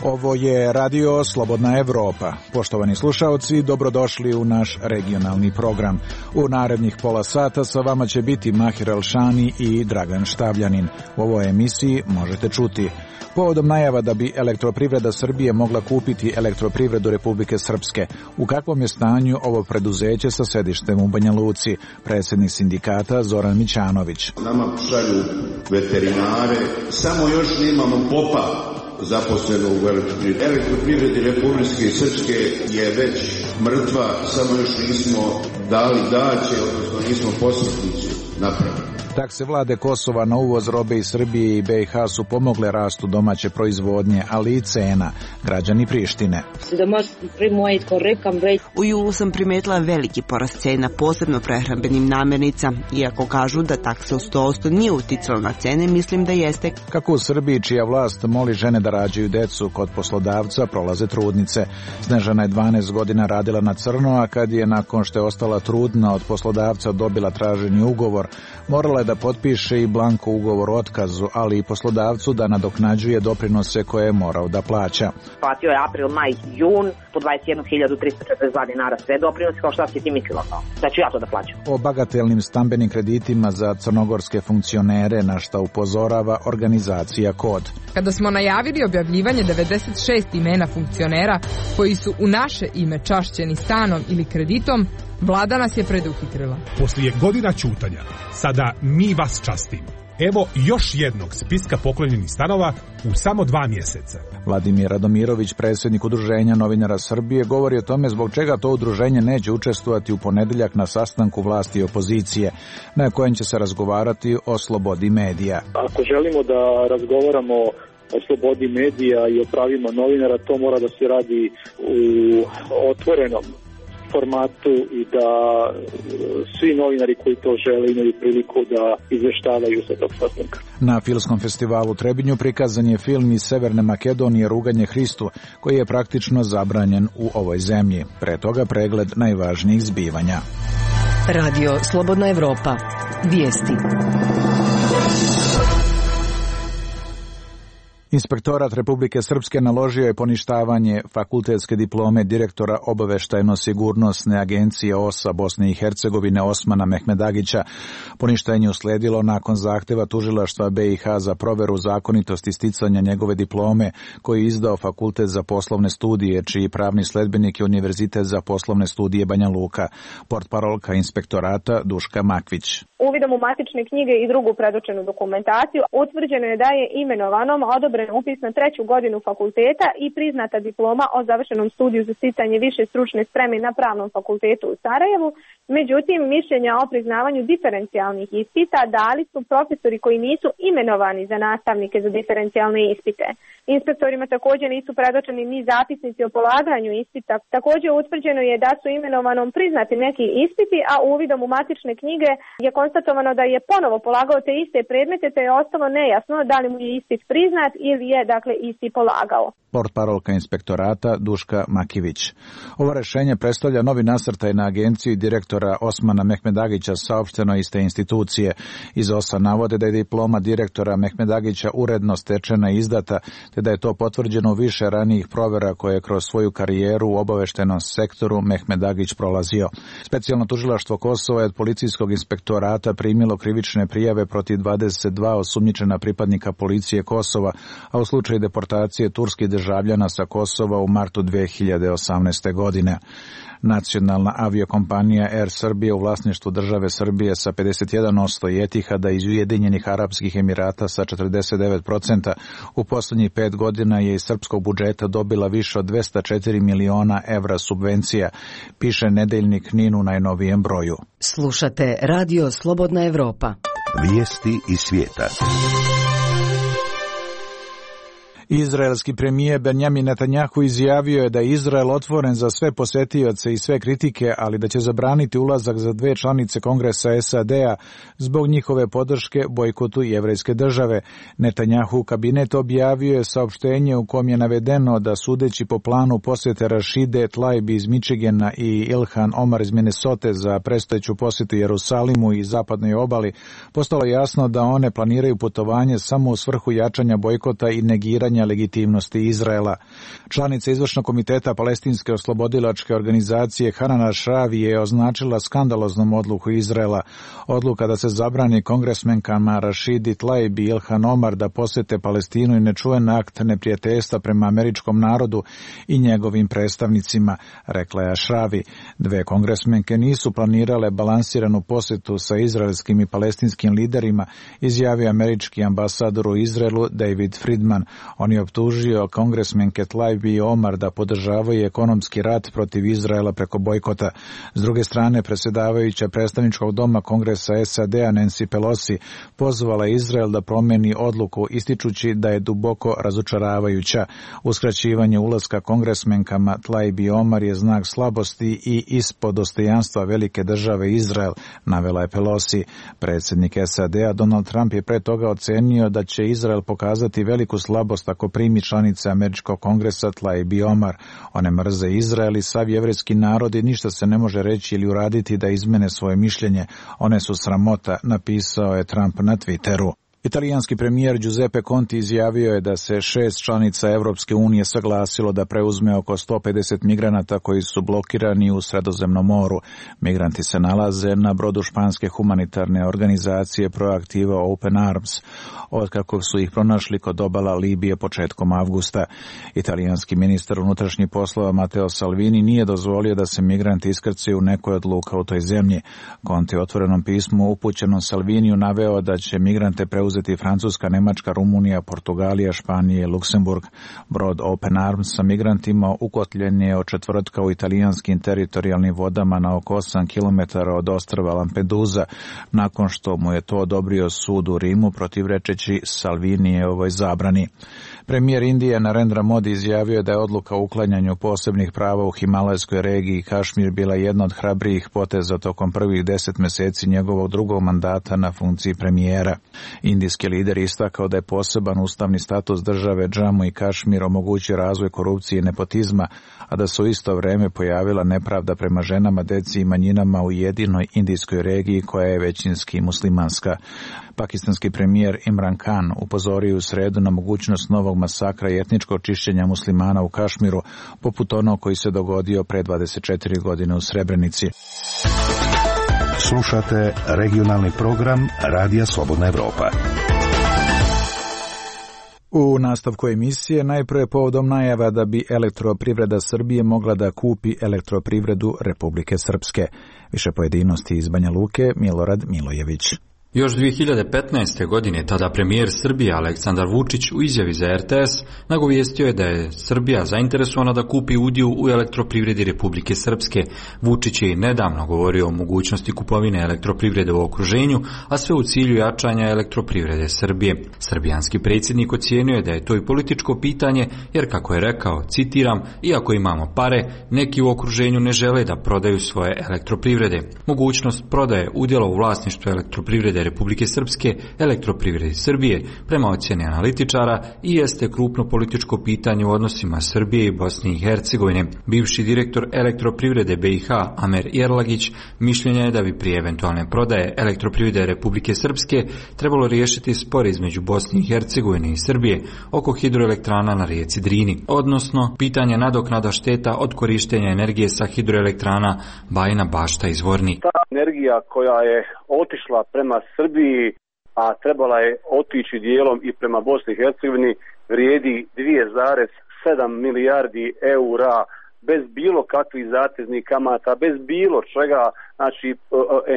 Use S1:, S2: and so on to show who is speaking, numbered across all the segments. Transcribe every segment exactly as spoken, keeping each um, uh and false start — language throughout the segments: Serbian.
S1: Ovo je Radio Slobodna Evropa. Poštovani slušaoci, dobrodošli u naš regionalni program. U narednih pola sata sa vama će biti Mahir Alšani i Dragan Štavljanin. U ovoj emisiji možete čuti: povodom najava da bi Elektroprivreda Srbije mogla kupiti Elektroprivredu Republike Srpske, u kakvom je stanju ovo preduzeće sa sedištem u Banja Luci, predsjednik sindikata Zoran Mićanović.
S2: Nama šalju veterinare, samo još nemamo popa zaposleno u Elektroprivredi. Elektroprivredi Republike Srpske je već mrtva, samo još nismo dali daće, odnosno nismo posrednici napravili.
S1: Takse vlade Kosova na uvoz robe iz Srbije i B i H su pomogle rastu domaće proizvodnje, ali i cena. Građani Prištine.
S3: U julu sam primetila veliki porast cena, posebno prehrambenim namirnica. Iako kažu da taksa u sto posto nije uticala na cene, mislim da jeste.
S1: Kako u Srbiji, čija vlast moli žene da rađaju decu, kod poslodavca prolaze trudnice. Snežana je dvanaest godina radila na crno, a kad je nakon što je ostala trudna od poslodavca dobila traženi ugovor, morala je da potpiše i blanko ugovor o otkazu, ali i poslodavcu da nadoknađuje doprinose koje je morao da plaća.
S4: Platio je april, maj, jun, po dvadeset jednu hiljadu trista četrdeset dva dinara sve doprinose, kao šta si ti mislila to? Da ću ja to da plaćam.
S1: O bagatelnim stambenim kreditima za crnogorske funkcionere, na šta upozorava organizacija Kod.
S5: Kada smo najavili objavljivanje devedeset šest imena funkcionera koji su u naše ime čašćeni stanom ili kreditom, vlada nas je preduhitrila.
S6: Poslije godina ćutanja, sada mi vas častimo. Evo još jednog spiska poklonjenih stanova u samo dva mjeseca.
S1: Vladimir Radomirović, predsjednik Udruženja novinara Srbije, govori o tome zbog čega to udruženje neće učestvovati u ponedjeljak na sastanku vlasti i opozicije, na kojem će se razgovarati o slobodi medija.
S7: Ako želimo da razgovaramo o slobodi medija i o pravima novinara, to mora da se radi u otvorenom formatu i da svi novinari koji to žele imaju priliku da izveštavaju sa tog sastanka.
S1: Na Filmskom festivalu u Trebinju prikazan je film iz Severne Makedonije Ruganje Hristu, koji je praktično zabranjen u ovoj zemlji. Pre toga pregled najvažnijih zbivanja.
S8: Radio Slobodna Evropa. Vijesti.
S1: Inspektorat Republike Srpske naložio je poništavanje fakultetske diplome direktora obaveštajno-sigurnosne agencije O S A Bosne i Hercegovine Osmana Mehmedagića. Poništenje usledilo nakon zahteva tužilaštva B i H za proveru zakonitosti sticanja njegove diplome, koji je izdao Fakultet za poslovne studije, čiji pravni sledbenik je Univerzitet za poslovne studije Banja Luka. Portparolka inspektorata Duška Makvić.
S9: Uvidom u matične knjige i drugu predočenu dokumentaciju utvrđeno je da je imenovanom odobren upis na treću godinu fakulteta i priznata diploma o završenom studiju za sticanje više stručne spreme na Pravnom fakultetu u Sarajevu. Međutim, mišljenja o priznavanju diferencijalnih ispita dali su profesori koji nisu imenovani za nastavnike za diferencijalne ispite. Inspektorima također nisu predočeni ni zapisnici o polaganju ispita. Također utvrđeno je da su imenovanom priznati neki ispiti, a uvidom u matične knjige je konstatovano da je ponovo polagao te iste predmete, te je ostalo nejasno da li mu je ispit priznat ili je dakle isti polagao.
S1: Portparolka inspektorata Duška Makivić. Ovo rešenje predstavlja novi nasrtaj na agenciju i direktora Osmana Mehmedagića, saopšteno iz te institucije. Iz O S A navode da je diploma direktora Mehmedagića uredno stečena i izdata, te da je to potvrđeno u više ranijih provera koje je kroz svoju karijeru u obaveštajnom sektoru Mehmedagić prolazio. Specijalno tužilaštvo Kosova je od policijskog inspektorata primilo krivične prijave protiv dvadeset dva osumnjičena pripadnika policije Kosova, a u slučaju deportacije turskih državljana sa Kosova u martu dve hiljade osamnaeste. godine. Nacionalna aviokompanija Air Srbije u vlasništvu države Srbije sa pedeset jedan posto i Etihada iz Ujedinjenih Arapskih Emirata sa četrdeset devet posto u posljednjih pet godina je iz srpskog budžeta dobila više od dvesta četiri miliona evra subvencija, piše nedeljnik N I N u najnovijem broju.
S8: Slušate Radio Slobodna Evropa.
S10: Vijesti iz svijeta.
S1: Izraelski premijer Benjamin Netanjahu izjavio je da je Izrael otvoren za sve posetioce i sve kritike, ali da će zabraniti ulazak za dve članice Kongresa S A D-a zbog njihove podrške bojkotu jevrejske države. Netanjahu kabinet objavio je saopštenje u kom je navedeno da sudeći po planu posjete Rashide Tlaib iz Michigana i Ilhan Omar iz Minnesote za predstojeću posjetu Jerusalimu i zapadnoj obali, postalo jasno da one planiraju putovanje samo u svrhu jačanja bojkota i negiranja legitimnosti Izraela. Članica izvršnog komiteta Palestinske oslobodilačke organizacije Hanan Ashravi je označila skandaloznom odluku Izraela. Odluka da se zabrani kongresmenkama Rashidi Tlaib i Ilhan Omar da posete Palestinu i nečuven akt neprijateljstva prema američkom narodu i njegovim predstavnicima, rekla je Ashravi. Dve kongresmenke nisu planirale balansiranu posjetu sa izraelskim i palestinskim liderima, izjavio američki ambasador u Izraelu David Friedman. On je optužio kongresmenke Tlaib i Omar da podržavaju ekonomski rat protiv Izraela preko bojkota. S druge strane, predsjedavajuća predstavničkog doma Kongresa S A D-a Nancy Pelosi pozvala Izrael da promeni odluku, ističući da je duboko razočaravajuća. Uskraćivanje ulaska kongresmenkama Tlaib i Omar je znak slabosti i ispod dostojanstva velike države Izrael, navela je Pelosi. Predsjednik S A D-a Donald Trump je pre toga ocenio da će Izrael pokazati veliku slabost ako primi članice američkog kongresa Tlaib i Omar. One mrze Izrael i sav jevrejski narod i ništa se ne može reći ili uraditi da izmene svoje mišljenje. One su sramota, napisao je Trump na Twitteru. Italijanski premijer Giuseppe Conte izjavio je da se šest članica Evropske unije saglasilo da preuzme oko sto pedeset migranata koji su blokirani u Sredozemnom moru. Migranti se nalaze na brodu španske humanitarne organizacije Proaktiva Open Arms, otkako su ih pronašli kod obala Libije početkom avgusta. Italijanski ministar unutrašnjih poslova Matteo Salvini nije dozvolio da se migranti iskrcaju u nekoj od luka u toj zemlji. Conte u otvorenom pismu upućenom Salviniju naveo da će migrante preuzeti Francuska, Nemačka, Rumunija, Portugalija, Španija i Luksemburg. Brod Open Arms sa migrantima ukotljen je od četvrtka u italijanskim teritorijalnim vodama na oko osam kilometara od ostrva Lampedusa, nakon što mu je to odobrio sud u Rimu protivrečeći Salvinijevoj zabrani. Premijer Indije Narendra Modi izjavio da je odluka o uklanjanju posebnih prava u Himalajskoj regiji Kašmir bila jedna od hrabrijih poteza tokom prvih deset meseci njegovog drugog mandata na funkciji premijera. Indijski lider istakao da je poseban ustavni status države Džamu i Kašmir omogućio razvoj korupcije i nepotizma, a da se u isto vreme pojavila nepravda prema ženama, deci i manjinama u jedinoj indijskoj regiji koja je većinski muslimanska. Pakistanski premijer Imran Khan upozorio u sredu na mogućnost novog masakra i etničkog čišćenja muslimana u Kašmiru, poput onog koji se dogodio pre dvadeset četiri godine u Srebrenici.
S10: Slušate regionalni program Radija Slobodna Evropa.
S1: U nastavku emisije najprije povodom najava da bi Elektroprivreda Srbije mogla da kupi Elektroprivredu Republike Srpske. Više pojedinosti iz Banja Luke, Milorad Milojević.
S11: Još dvije hiljade petnaeste. godine tada premijer Srbije Aleksandar Vučić u izjavi za R T S nagovijestio je da je Srbija zainteresovana da kupi udio u Elektroprivredi Republike Srpske. Vučić je i nedavno govorio o mogućnosti kupovine elektroprivrede u okruženju, a sve u cilju jačanja Elektroprivrede Srbije. Srbijanski predsjednik ocijenio je da je to i političko pitanje, jer kako je rekao, citiram, iako imamo pare, neki u okruženju ne žele da prodaju svoje elektroprivrede. Mogućnost prodaje udjela u vlasništvu Elektroprivrede Republike Srpske Elektroprivredi Srbije prema ocjeni analitičara i jeste krupno političko pitanje u odnosima Srbije i Bosne i Hercegovine. Bivši direktor Elektroprivrede B i H Amer Jerlagić mišljenja je da bi prije eventualne prodaje Elektroprivrede Republike Srpske trebalo riješiti spor između Bosne i Hercegovine i Srbije oko hidroelektrana na rijeci Drini, odnosno pitanje nadoknada šteta od korištenja energije sa hidroelektrana Bajina Bašta i Zvornik.
S12: Ta energija koja je otišla prema Srbiji, a trebala je otići dijelom i prema Bosni i Hercegovini, vrijedi dvije zarez sedam milijardi eura bez bilo kakvih zateznih kamata, bez bilo čega. Znači,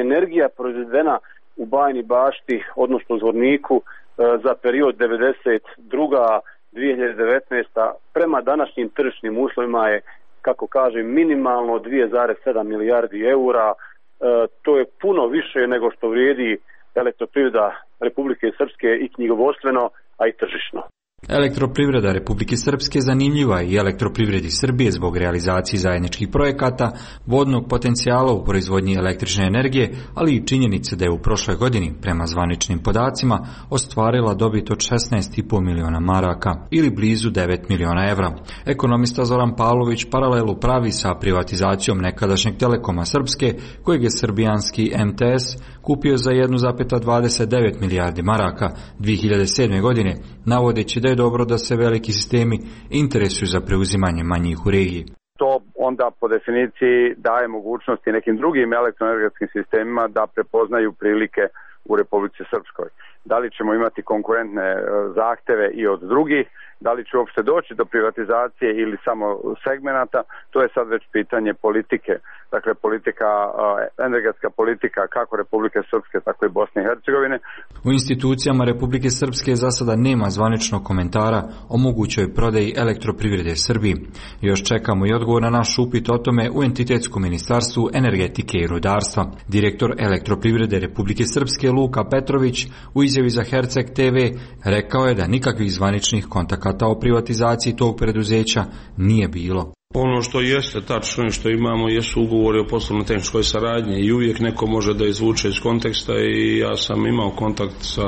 S12: energija proizvedena u Bajini Bašti, odnosno Zvorniku, za period devedeset druga do dvije hiljade devetnaesta. prema današnjim tržišnim uslovima je, kako kažem, minimalno dvije zarez sedam milijardi eura. To je puno više nego što vrijedi Elektroprivreda Republike Srpske i knjigovodstveno, a i tržišno.
S11: Elektroprivreda Republike Srpske zanimljiva je i Elektroprivredi Srbije zbog realizacije zajedničkih projekata, vodnog potencijala u proizvodnji električne energije, ali i činjenice da je u prošloj godini, prema zvaničnim podacima, ostvarila dobit od šesnaest i po miliona maraka ili blizu devet miliona evra. Ekonomista Zoran Pavlović paralelu pravi sa privatizacijom nekadašnjeg Telekoma Srpske, kojeg je srbijanski em te es kupio za jedan zarez dvadeset devet milijardi maraka dvije hiljade sedme. godine, navodeći da je dobro da se veliki sistemi interesuju za preuzimanje manjih u regiji.
S13: To onda po definiciji daje mogućnosti nekim drugim elektroenergetskim sistemima da prepoznaju prilike u Republici Srpskoj. Da li ćemo imati konkurentne zahteve i od drugih, da li će uopšte doći do privatizacije ili samo segmenata, to je sad već pitanje politike. Dakle, politika, energetska politika kako Republike Srpske, tako i Bosne i Hercegovine.
S11: U institucijama Republike Srpske za sada nema zvaničnog komentara o mogućoj prodaji Elektroprivrede Srbiji. Još čekamo i odgovor na naš upit o tome u Entitetskom ministarstvu energetike i rudarstva. Direktor Elektroprivrede Republike Srpske Luka Petrović u izjavi za Herceg te ve rekao je da nikakvih zvaničnih kontakata o privatizaciji tog preduzeća nije bilo.
S14: Ono što jeste tačno i što imamo jesu ugovori o poslovno-tehničkoj saradnji i uvijek neko može da izvuče iz konteksta i ja sam imao kontakt sa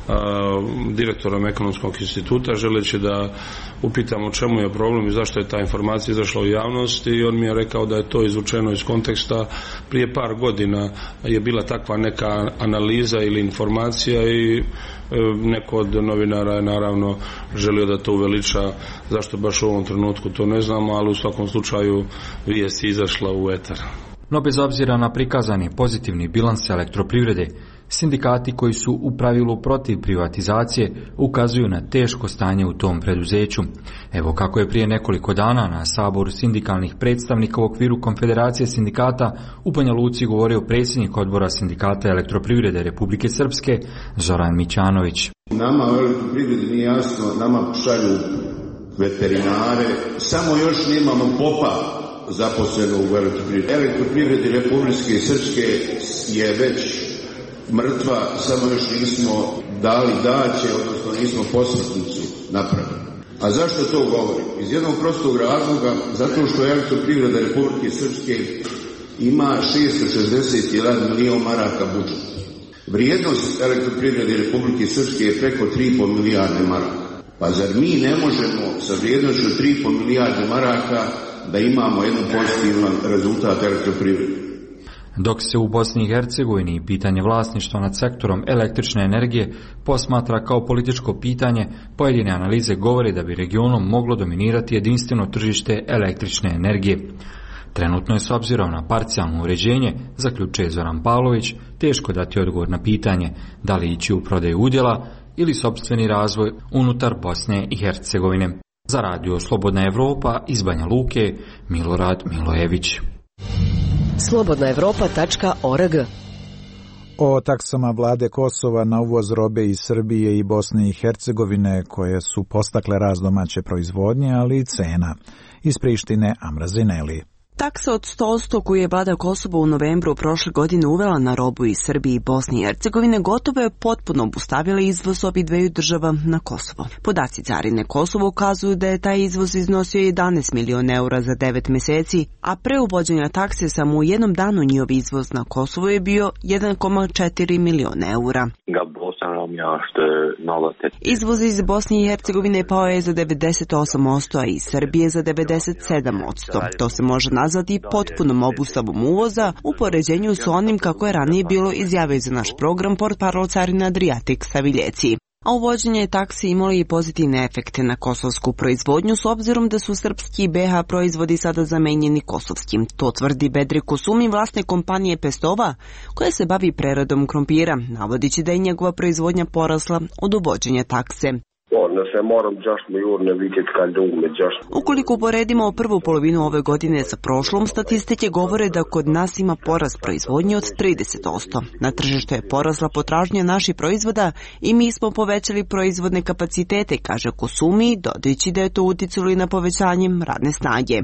S14: a, direktorom Ekonomskog instituta želeći da upitam o čemu je problem i zašto je ta informacija izašla u javnost i on mi je rekao da je to izvučeno iz konteksta. Prije par godina je bila takva neka analiza ili informacija i neko od novinara je naravno želio da to uveliča, zašto baš u ovom trenutku to ne znamo, ali u svakom slučaju vijest je izašla u etar.
S11: No bez obzira na prikazani pozitivni bilans Elektroprivrede, sindikati koji su u pravilu protiv privatizacije ukazuju na teško stanje u tom preduzeću. Evo kako je prije nekoliko dana na saboru sindikalnih predstavnika u okviru Konfederacije sindikata u Banja Luci govorio predsjednik odbora sindikata Elektroprivrede Republike Srpske Zoran Mićanović.
S2: Nama u Elektroprivredi nije jasno, nama šalju veterinare, samo još nemamo popa zaposleno u Elektroprivredi. Elektroprivredi Republike Srpske je već mrtva, samo još nismo dali daće, odnosno nismo posvetnicu napravili. A zašto to govorim? Iz jednog prostog razloga, zato što Elektroprivreda Republike Srpske ima šesto šezdeset jedan milion maraka budžet. Vrijednost Elektroprivrede Republike Srpske je preko tri i po milijarde maraka. Pa zar mi ne možemo sa vrijednošću tri i po milijarde maraka da imamo jedan pozitivan rezultat Elektroprivrede?
S11: Dok se u Bosni i Hercegovini pitanje vlasništva nad sektorom električne energije posmatra kao političko pitanje, pojedine analize govore da bi regionom moglo dominirati jedinstveno tržište električne energije. Trenutno je s obzirom na parcijalno uređenje, zaključuje Zoran Pavlović, teško dati odgovor na pitanje da li ići u prodaju udjela ili sopstveni razvoj unutar Bosne i Hercegovine. Za radio Slobodna Evropa iz Banja Luke, Milorad Milojević.
S8: slobodna evropa tačka org.
S1: O taksama vlade Kosova na uvoz robe iz Srbije i Bosne i Hercegovine koje su postakle rast domaće proizvodnje, ali i cena. Iz Prištine Amra Zineli.
S3: Taksa od sto posto koju je vlada Kosova u novembru prošle godine uvela na robu iz Srbije i Bosne i Hercegovine gotovo je potpuno obustavila izvoz obih dveju država na Kosovo. Podaci carine Kosovo ukazuju da je taj izvoz iznosio jedanaest miliona eura za devet mjeseci, a pre uvođenja takse samo u jednom danu njihov izvoz na Kosovo je bio jedan zarez četiri miliona eura. Izvoz iz Bosne i Hercegovine pao je za devedeset osam posto, a iz Srbije za devedeset sedam posto. To se može nazvati potpunom obustavom uvoza u poređenju s onim kako je ranije bilo izjavio za naš program portparol carina Adriatik Saviljeci. A uvođenje taksi imalo i pozitivne efekte na kosovsku proizvodnju s obzirom da su srpski i be ha proizvodi sada zamenjeni kosovskim. To tvrdi Bedri Kosumi, vlasnik kompanije Pestova, koja se bavi preradom krompira, navodići da je njegova proizvodnja porasla od uvođenja takse. Ukoliko uporedimo prvu polovinu ove godine sa prošlom, statistike govore da kod nas ima porast proizvodnje od trideset posto. Na tržištu je porasla potražnja naših proizvoda i mi smo povećali proizvodne kapacitete, kaže Kosumi, dodajući da je to uticalo i na povećanje radne snage.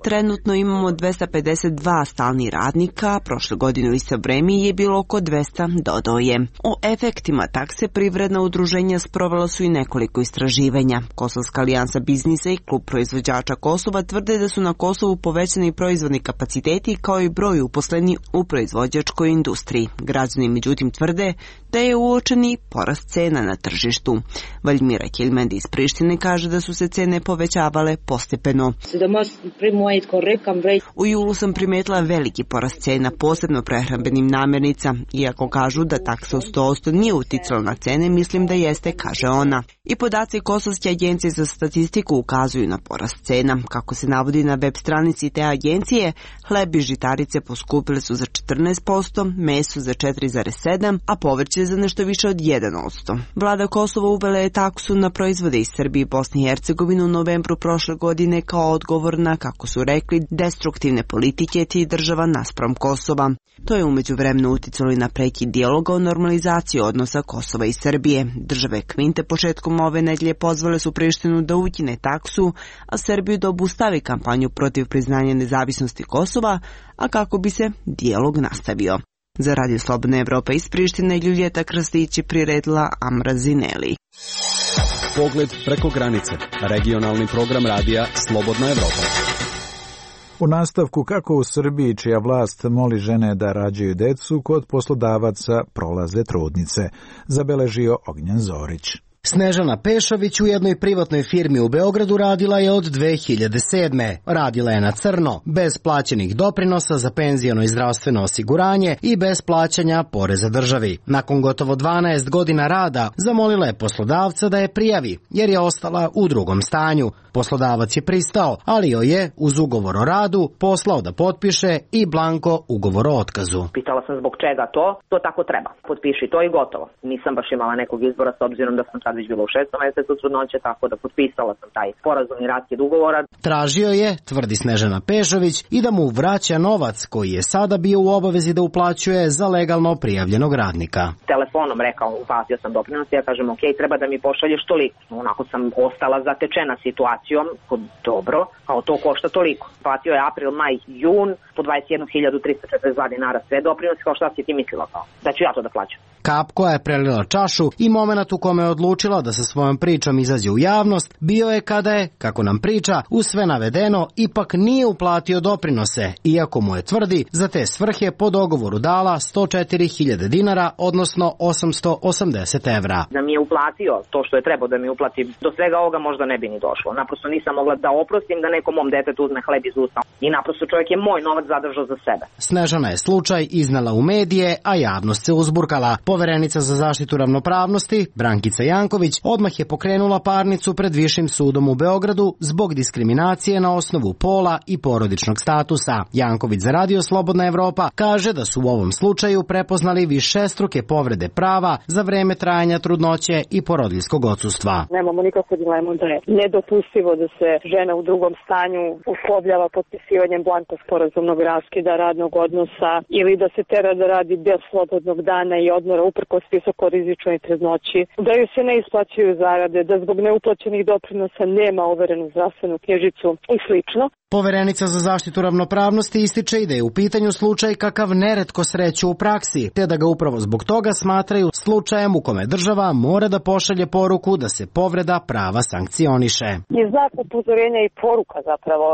S3: Trenutno imamo dvesta pedeset dva stalni radnika, prošle godine u isto vreme je bilo oko dvesta, dodao je. O efektima takse privredna udruženja sprovela su i nekoliko nekoliko istraživanja. Kosovska alijansa biznisa i klub proizvođača Kosova tvrde da su na Kosovu povećani proizvodni kapaciteti kao i broj uposleni u proizvođačkoj industriji. Građani međutim tvrde da je uočeni porast cena na tržištu. Valjmira Kilmendi iz Prištine kaže da su se cene povećavale postepeno. U julu sam primetila veliki porast cena, posebno prehrambenim namirnica. Iako kažu da taksa od sto posto nije uticala na cene, mislim da jeste, kaže ona. I podaci Kosovske agencije za statistiku ukazuju na porast cena. Kako se navodi na web stranici te agencije, hleb i žitarice poskupile su za četrnaest posto, meso za četiri zarez sedam posto, a povrće za nešto više od jedan posto. Vlada Kosova uvela je taksu na proizvode iz Srbije i Bosne i Hercegovine u novembru prošle godine kao odgovor na, kako su rekli, destruktivne politike tih država naspram Kosova. To je umeđu vremenu uticalo i na prekid dijaloga o normalizaciji odnosa Kosova i Srbije. Države Kvinte početkom ove nedelje pozvale su Prištinu da ukine taksu, a Srbiju da obustavi kampanju protiv priznanja nezavisnosti Kosova, a kako bi se dijalog nastavio. Za Radio Slobodna Evropa iz Prištine Ljuljeta Krstić je priredila Amra Zineli.
S15: Pogled preko granice. Regionalni program radija Slobodna Evropa.
S1: U nastavku, kako u Srbiji, čija vlast moli žene da rađaju decu, kod poslodavaca prolaze trudnice, zabeležio Ognjen Zorić.
S16: Snežana Pešović u jednoj privatnoj firmi u Beogradu radila je od dve hiljade sedme. Radila je na crno, bez plaćenih doprinosa za penziono i zdravstveno osiguranje i bez plaćanja poreza državi. Nakon gotovo dvanaest godina rada zamolila je poslodavca da je prijavi, jer je ostala u drugom stanju. Poslodavac je pristao, ali joj je uz ugovor o radu poslao da potpiše i blanko ugovor o otkazu.
S4: Pitala sam zbog čega to, to tako treba. Potpiši to i gotovo. Nisam baš imala nekog izbora s obzirom da sam sad već bila u šestom mesecu trudnoće, tako da potpisala sam taj sporazum i raskid ugovora.
S16: Tražio je, tvrdi Snežana Pešović, i da mu vraća novac koji je sada bio u obavezi da uplaćuje za legalno prijavljenog radnika.
S4: Telefonom rekao, uplatio sam doprinos, ja kažem ok, treba da mi pošalješ toliko. Onako sam ostala zatečena situacijom, dobro, kao to košta toliko. Platio je april, maj, jun, po dvadeset jednu hiljadu trista četrdeset dva dinara sve doprinosi, kao šta si ti mislila kao, da ću ja to da plaćam.
S16: Kap koja je prelila čašu i moment u kome je odlučila da sa svojom pričom izađe u javnost bio je kada je, kako nam priča, uz sve navedeno ipak nije uplatio doprinose, iako mu je, tvrdi, za te svrhe po dogovoru dala sto četiri hiljade dinara, odnosno osamsto osamdeset evra.
S4: Da mi je uplatio to što je trebao da mi uplati, do svega ovoga možda ne bi ni došlo. Naprosto nisam mogla da oprostim da nekom mom detetu uzme hleb iz usta. I naprosto čovjek je moj novac zadržao za sebe.
S16: Snežana je slučaj iznala u medije, a javnost se uzburkala. Poverenica za zaštitu ravnopravnosti, Brankica Janković, odmah je pokrenula parnicu pred Višim sudom u Beogradu zbog diskriminacije na osnovu pola i porodičnog statusa. Janković za Radio Slobodna Evropa kaže da su u ovom slučaju prepoznali višestruke povrede prava za vreme trajanja trudnoće i porodiljskog odsustva.
S17: Nemamo nikakvu dilemu da je nedopustivo da se žena u drugom stanju uslovljava potpisivanjem blanko sporazumnog raskida radnog odnosa ili da se tera da radi bez slobodnog dana i odmora uprkos visokorizičnoj trudnoći, da ju se ne isplaćuju zarade, da zbog neuplaćenih doprinosa nema overenu zdravstvenu knjižicu i slično.
S16: Poverenica za zaštitu ravnopravnosti ističe i da je u pitanju slučaj kakav neretko sreću u praksi, te da ga upravo zbog toga smatraju slučajem u kome država mora da pošalje poruku da se povreda prava sankcioniše.
S17: Je znak upozorenja i poruka zapravo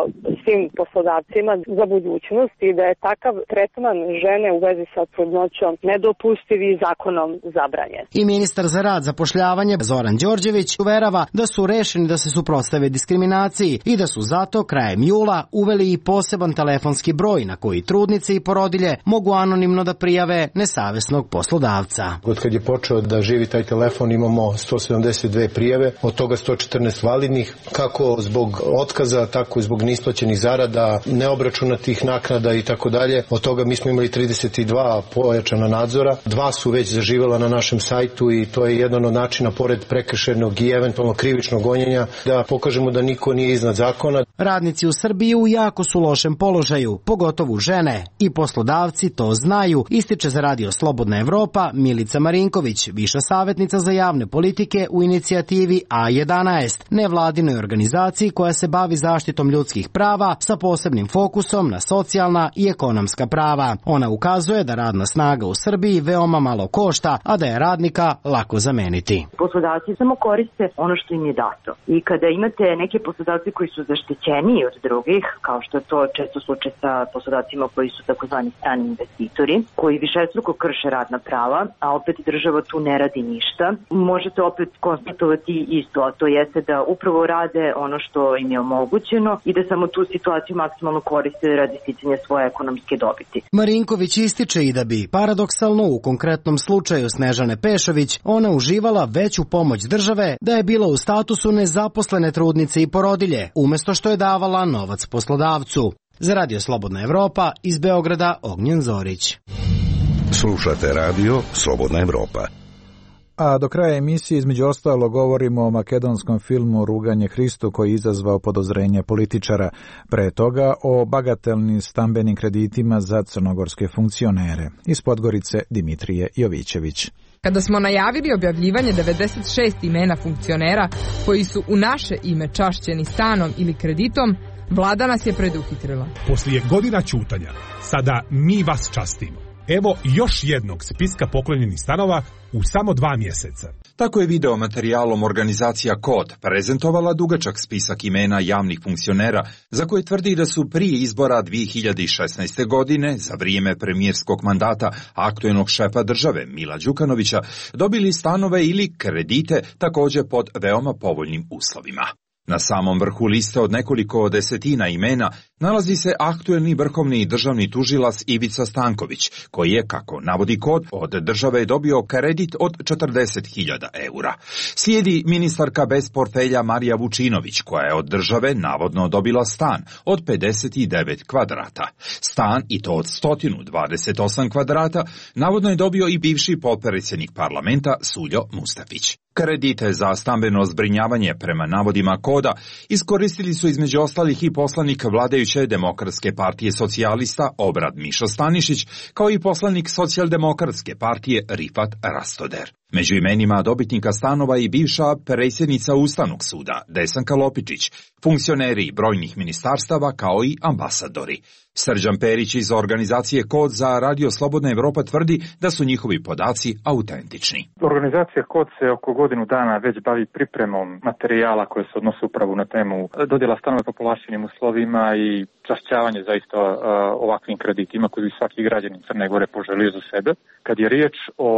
S17: svim poslodavcima za budućnost i da je takav tretman žene u vezi sa trudnoćom nedopustiv i zakonom zabranjen.
S16: I ministar za rad, zapošljavanje Zoran Đorđević uverava da su rešeni da se suprotstave diskriminaciji i da su zato krajem jula uveli i poseban telefonski broj na koji trudnice i porodilje mogu anonimno da prijave nesavesnog poslodavca.
S18: Od kad je počeo da živi taj telefon imamo sto sedamdeset dve prijave, od toga sto četrnaest validnih, kako zbog otkaza, tako i zbog neisplaćenih zarada, neobračunatih naknada i tako dalje. Od toga mi smo imali trideset dva pojačana nadzora, dva su već zaživela na našem sajtu i to je jedan od načina, pored prekršajnog i eventualno krivičnog gonjenja, da pokažemo da niko nije iznad zakona.
S16: Radnici u Srbiji u jako su lošem položaju, pogotovo žene, i poslodavci to znaju, ističe za Radio Slobodna Evropa Milica Marinković, viša savjetnica za javne politike u inicijativi A jedanaest, nevladinoj organizaciji koja se bavi zaštitom ljudskih prava sa posebnim fokusom na socijalna i ekonomska prava. Ona ukazuje da radna snaga u Srbiji veoma malo košta, a da je radnika lako zameniti.
S19: Poslodavci samo koriste ono što im je dato. I kada imate neke poslodavce koji su zaštićeniji od drugih, kao što je to često slučaj sa poslodavcima koji su takozvani strani investitori, koji višestruko krše radna prava, a opet država tu ne radi ništa, možete opet konstatovati isto, a to jeste da upravo rade ono što im je omogućeno i da samo tu situaciju maksimalno koriste radi sticanja svoje ekonomske dobiti.
S16: Marinković ističe i da bi, paradoksalno u konkretnom slučaju Snežane Pešović, ona uživala veću pomoć države da je bila u statusu nezaposlene trudnice i porodilje, umesto što je davala novac poslodavcu. Za Radio Slobodna Evropa, iz Beograda, Ognjen Zorić.
S10: Slušate Radio Slobodna Evropa.
S1: A do kraja emisije između ostalo govorimo o makedonskom filmu Ruganje Hristu koji je izazvao podozrenje političara. Pre toga o bagatelnim stambenim kreditima za crnogorske funkcionere. Iz Podgorice Dimitrije Jovićević.
S5: Kada smo najavili objavljivanje devedeset šest imena funkcionera koji su u naše ime čašćeni stanom ili kreditom, vlada nas je preduhitrila.
S6: Poslije godina ćutanja, sada mi vas častimo. Evo još jednog spiska poklonjenih stanova u samo dva mjeseca.
S20: Tako je video materijalom organizacija Kod prezentovala dugačak spisak imena javnih funkcionera za koje tvrdi da su prije izbora dvije hiljade šesnaeste. godine za vrijeme premijerskog mandata aktuelnog šefa države Mila Đukanovića dobili stanove ili kredite također pod veoma povoljnim uslovima. Na samom vrhu liste od nekoliko desetina imena nalazi se aktuelni vrhovni državni tužilac Ivica Stanković, koji je, kako navodi Kod, od države dobio kredit od četrdeset hiljada eura. Slijedi ministarka bez portfelja Marija Vučinović, koja je od države navodno dobila stan od pedeset devet kvadrata. Stan, i to od sto dvadeset osam kvadrata, navodno je dobio i bivši potpredsjednik parlamenta Suljo Mustafić. Kredite za stambeno zbrinjavanje prema navodima Koda iskoristili su između ostalih i poslanik vladajuće Demokratske partije socijalista Obrad Mišo Stanišić, kao i poslanik Socijaldemokratske partije Rifat Rastoder. Među imenima dobitnika stanova i bivša predsjednica Ustavnog suda Desanka Lopičić, funkcioneri brojnih ministarstava kao i ambasadori. Srđan Perić iz organizacije Kod za Radio Slobodna Evropa tvrdi da su njihovi podaci autentični.
S21: Organizacija Kod se oko godinu dana već bavi pripremom materijala koje se odnose upravo na temu dodjela stanova po povlaštenim uslovima i čašćavanje zaista uh, ovakvim kreditima koji bi svaki građanin Crne Gore poželio za sebe. Kad je riječ o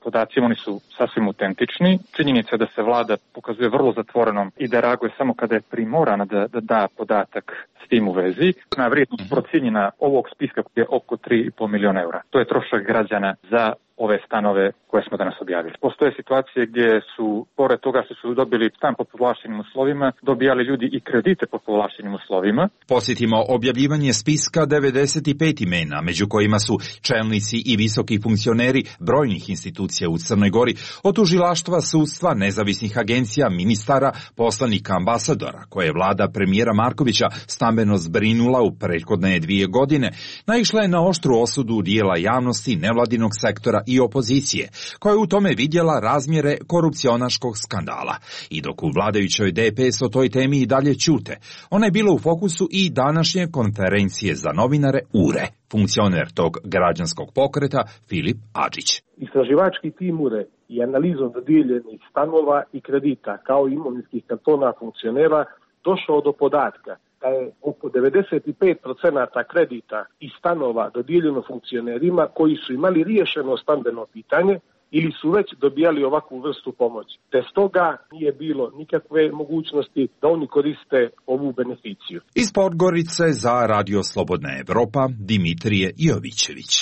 S21: podacima, oni su sasvim autentični. Činjenica je da se vlada pokazuje vrlo zatvorenom i da reaguje samo kada je primorana da, da da podatak s tim u vezi. Na vrijednost procijenjena ovog spiska je oko tri i pol miliona eura. To je trošak građana za ove stanove koje smo danas objavili. Postoje situacije gdje su, pored toga što su dobili stan po povlaštenim uslovima, dobijali ljudi i kredite po povlaštenim uslovima.
S20: Posjetimo objavljivanje spiska devedeset pet imena, među kojima su čelnici i visoki funkcioneri brojnih institucija u Crnoj Gori, od tužilaštva, sudstva, nezavisnih agencija, ministara, poslanika, ambasadora, koje je vlada premijera Markovića stambeno zbrinula u prethodne dvije godine, naišla je na oštru osudu dijela javnosti, nevladinog sektora i opozicije, koja je u tome vidjela razmjere korupcionaškog skandala. I dok u vladajućoj D P S o toj temi i dalje ćute, ona je bila u fokusu i današnje konferencije za novinare U R E. Funkcioner tog građanskog pokreta Filip Adžić.
S22: Istraživački tim U R E i analizom dodijeljenih stanova i kredita kao i imovinskih kantona funkcionera došao do podatka da je oko devedeset pet procenata kredita i stanova dodijeljeno funkcionerima koji su imali riješeno stambeno pitanje ili su već dobijali ovakvu vrstu pomoći. Te stoga nije bilo nikakve mogućnosti da oni koriste ovu beneficiju.
S20: Iz Podgorice za Radio Slobodna Evropa, Dimitrije Jovićević.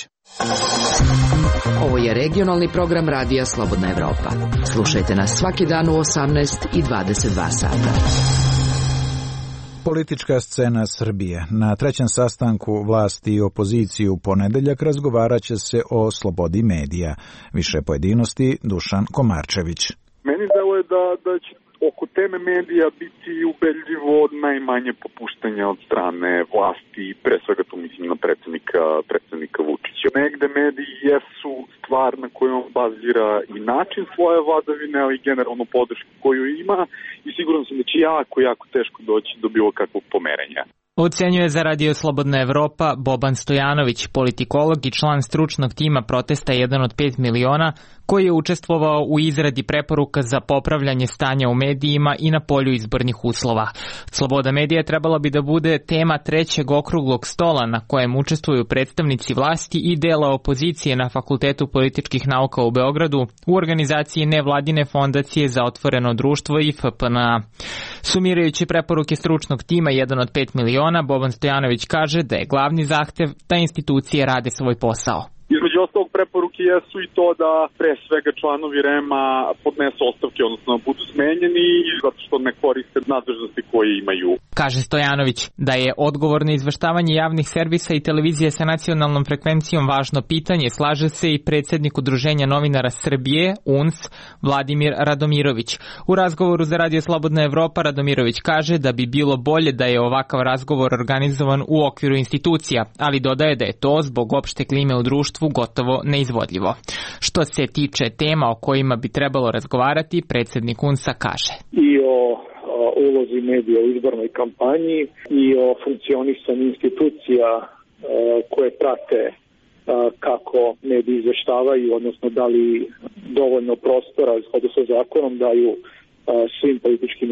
S8: Ovo je regionalni program Radija Slobodna Evropa. Slušajte nas svaki dan u osamnaest i dvadeset dva sata.
S1: Politička scena Srbije. Na trećem sastanku vlasti i opoziciju u ponedeljak razgovarat će se o slobodi medija. Više pojedinosti Dušan Komarčević.
S23: Meni deluje da, da će
S7: oko teme medija biti ubedljivo najmanje popuštanja od strane vlasti, pre svega tu mislim na predsjednika, predsjednika Vučića. Negde mediji jesu stvar na kojoj on bazira i način svoje vladavine, ali i generalno podršku koju ima i siguran sam da će jako, jako teško doći do bilo kakvog pomerenja.
S9: Ocenjuje za Radio Slobodna Evropa Boban Stojanović, politikolog i član stručnog tima protesta jedan od pet miliona, koji je učestvovao u izradi preporuka za popravljanje stanja u medijima i na polju izbornih uslova. Sloboda medija trebala bi da bude tema trećeg okruglog stola na kojem učestvuju predstavnici vlasti i dela opozicije na Fakultetu političkih nauka u Beogradu u organizaciji nevladine fondacije za otvoreno društvo i F P N A. Sumirajući preporuke stručnog tima jedan od pet miliona, Boban Stojanović kaže da je glavni zahtev da institucije rade svoj posao.
S7: Između ostalog preporuke jesu i to da pre svega članovi R E M-a podnesu ostavke, odnosno budu smenjeni zato što ne koriste nadležnosti koje imaju.
S9: Kaže Stojanović da je odgovorno izveštavanje javnih servisa i televizije sa nacionalnom frekvencijom važno pitanje, slaže se i predsjednik Udruženja novinara Srbije, U N S, Vladimir Radomirović. U razgovoru za Radio Slobodna Evropa Radomirović kaže da bi bilo bolje da je ovakav razgovor organizovan u okviru institucija, ali dodaje da je to zbog opšte klime u društvu gotovo neizvodljivo. Što se tiče tema o kojima bi trebalo razgovarati, predsjednik U N S-a kaže.
S22: I o, o ulozi medija u izbornoj kampanji i o funkcionisanju institucija e, koje prate e, kako mediji izveštavaju, odnosno da li dovoljno prostora u skladu sa zakonom daju e, svim političkim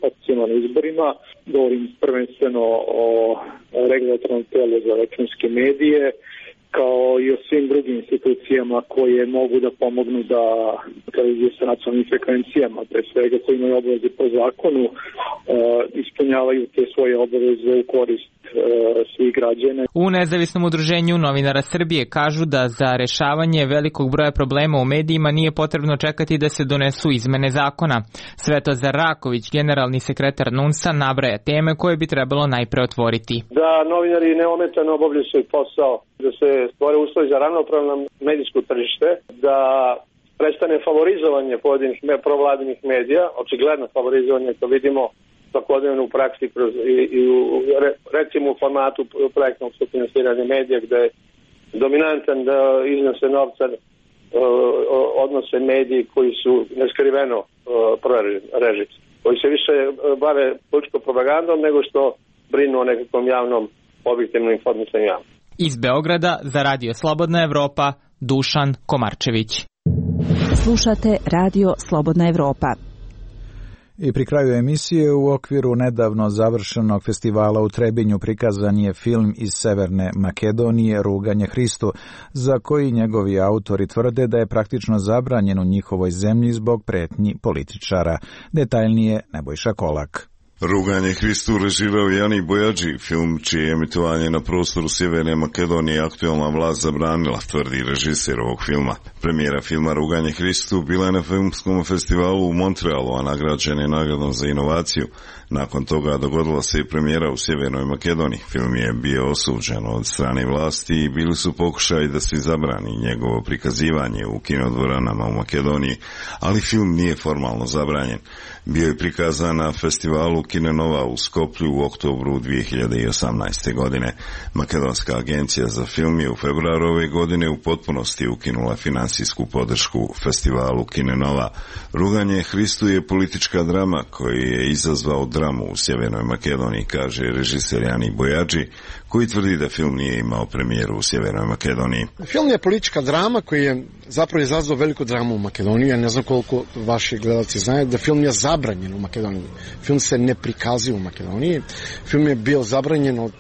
S22: opcijama na izborima. Govorim prvenstveno o regulatornom telu za elektronske medije, kao i o svim drugim institucijama koje mogu da pomognu da televizije sa nacionalnim frekvencijama, pre svega koji imaju obaveze po zakonu, e, ispunjavaju te svoje obaveze u korist e, svih građana.
S9: U nezavisnom udruženju novinara Srbije kažu da za rešavanje velikog broja problema u medijima nije potrebno čekati da se donesu izmene zakona. Svetozar Raković, generalni sekretar N U N S-a, nabraja teme koje bi trebalo najpre otvoriti.
S22: Da novinari neometano obavljaju svoj posao, da se stvore uslovi za ravnopravno medijsko tržište, da prestane favorizovanje pojedinih provladinih medija, očigledno favorizovanje, to vidimo svakodnevno u praksi kroz, i, i u, recimo u formatu projektnog sufinansiranja medija gde je dominantan da iznose novca odnose mediji koji su neskriveno prorežimski, koji se više bave političkom propagandom nego što brinu o nekakvom javnom objektivnom informisanju javnom.
S9: Iz Beograda za Radio Slobodna Evropa, Dušan Komarčević.
S23: Slušate Radio Slobodna Evropa.
S1: I pri kraju emisije u okviru nedavno završenog festivala u Trebinju prikazan je film iz Severne Makedonije Ruganje Hristu, za koji njegovi autori tvrde da je praktično zabranjen u njihovoj zemlji zbog pretnji političara. Detaljnije Nebojša Kolak.
S24: Ruganje Hristu režirao Jani Bojađi, film čije emitovanje na prostoru Sjeverne Makedonije aktualna vlast zabranila, tvrdi režiser ovog filma. Premijera filma Ruganje Hristu bila je na filmskom festivalu u Montrealu, a nagrađen je nagradom za inovaciju. Nakon toga dogodila se i premijera u Sjevernoj Makedoniji. Film je bio osuđen od strane vlasti i bili su pokušaji da se zabrani njegovo prikazivanje u kinodvoranama u Makedoniji, ali film nije formalno zabranjen. Bio je prikazan na festivalu Kine Nova u Skoplju u oktobru dvije hiljade osamnaeste. godine. Makedonska agencija za film je u februaru ove godine u potpunosti ukinula finansijsku podršku festivalu Kine Nova. Ruganje Hristu je politička drama koji je izazvao dramu u Sjevernoj Makedoniji, kaže režiser Jani Bojađi, koji tvrdi da film nije imao premijeru u Sjevernoj Makedoniji.
S25: Film je politička drama koji je zapravo izazvao veliku dramu u Makedoniji. Ja ne znam koliko vaši gledalci znaju da film je zabranjen u Makedoniji. Film se ne prikazuje u Makedoniji. Film je bio zabranjen od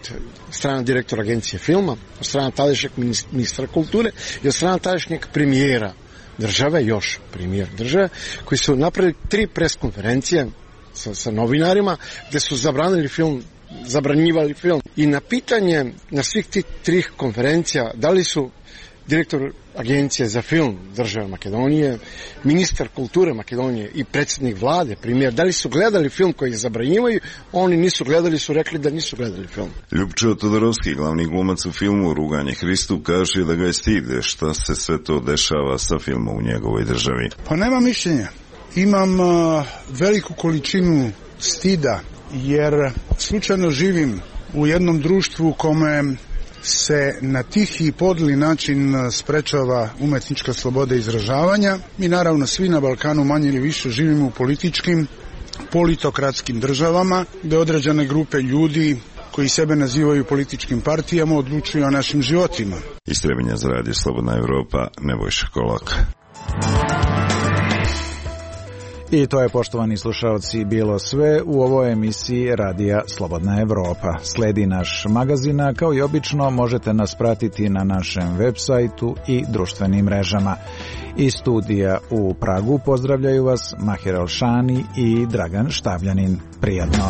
S25: strane direktora agencije filma, od strane tadašnjeg ministra kulture i od strane tadašnjeg premijera države, još premijer države, koji su napravili tri pres konferencije sa, sa novinarima gde su zabranili film, zabranjivali film. I na pitanje na svih tih tri konferencija da li su direktor agencije za film države Makedonije, ministar kulture Makedonije i predsjednik vlade, premijer, da li su gledali film koji ih zabranjivaju, oni nisu gledali, su rekli da nisu gledali film.
S24: Ljubčo Todorovski, glavni glumac u filmu Ruganje Hristu, kaže da ga je stid šta se sve to dešava sa filmom u njegovoj državi.
S26: Pa nema mišljenja.
S2: Imam veliku količinu stida jer slučajno živim u jednom društvu u kome se na tihi i podli način sprečava umetnička sloboda izražavanja. Mi naravno svi na Balkanu manje ili više živimo u političkim, politokratskim državama gde određene grupe ljudi koji sebe nazivaju političkim partijama odlučuju o našim životima.
S24: Istrebenja za radio Slobodna Evropa, Nebojša Kolak.
S1: I to je, poštovani slušalci, bilo sve u ovoj emisiji Radija Slobodna Evropa. Sledi naš magazin, a kao i obično možete nas pratiti na našem web sajtu i društvenim mrežama. Iz studija u Pragu pozdravljaju vas Mahir Alšani i Dragan Štabljanin. Prijatno!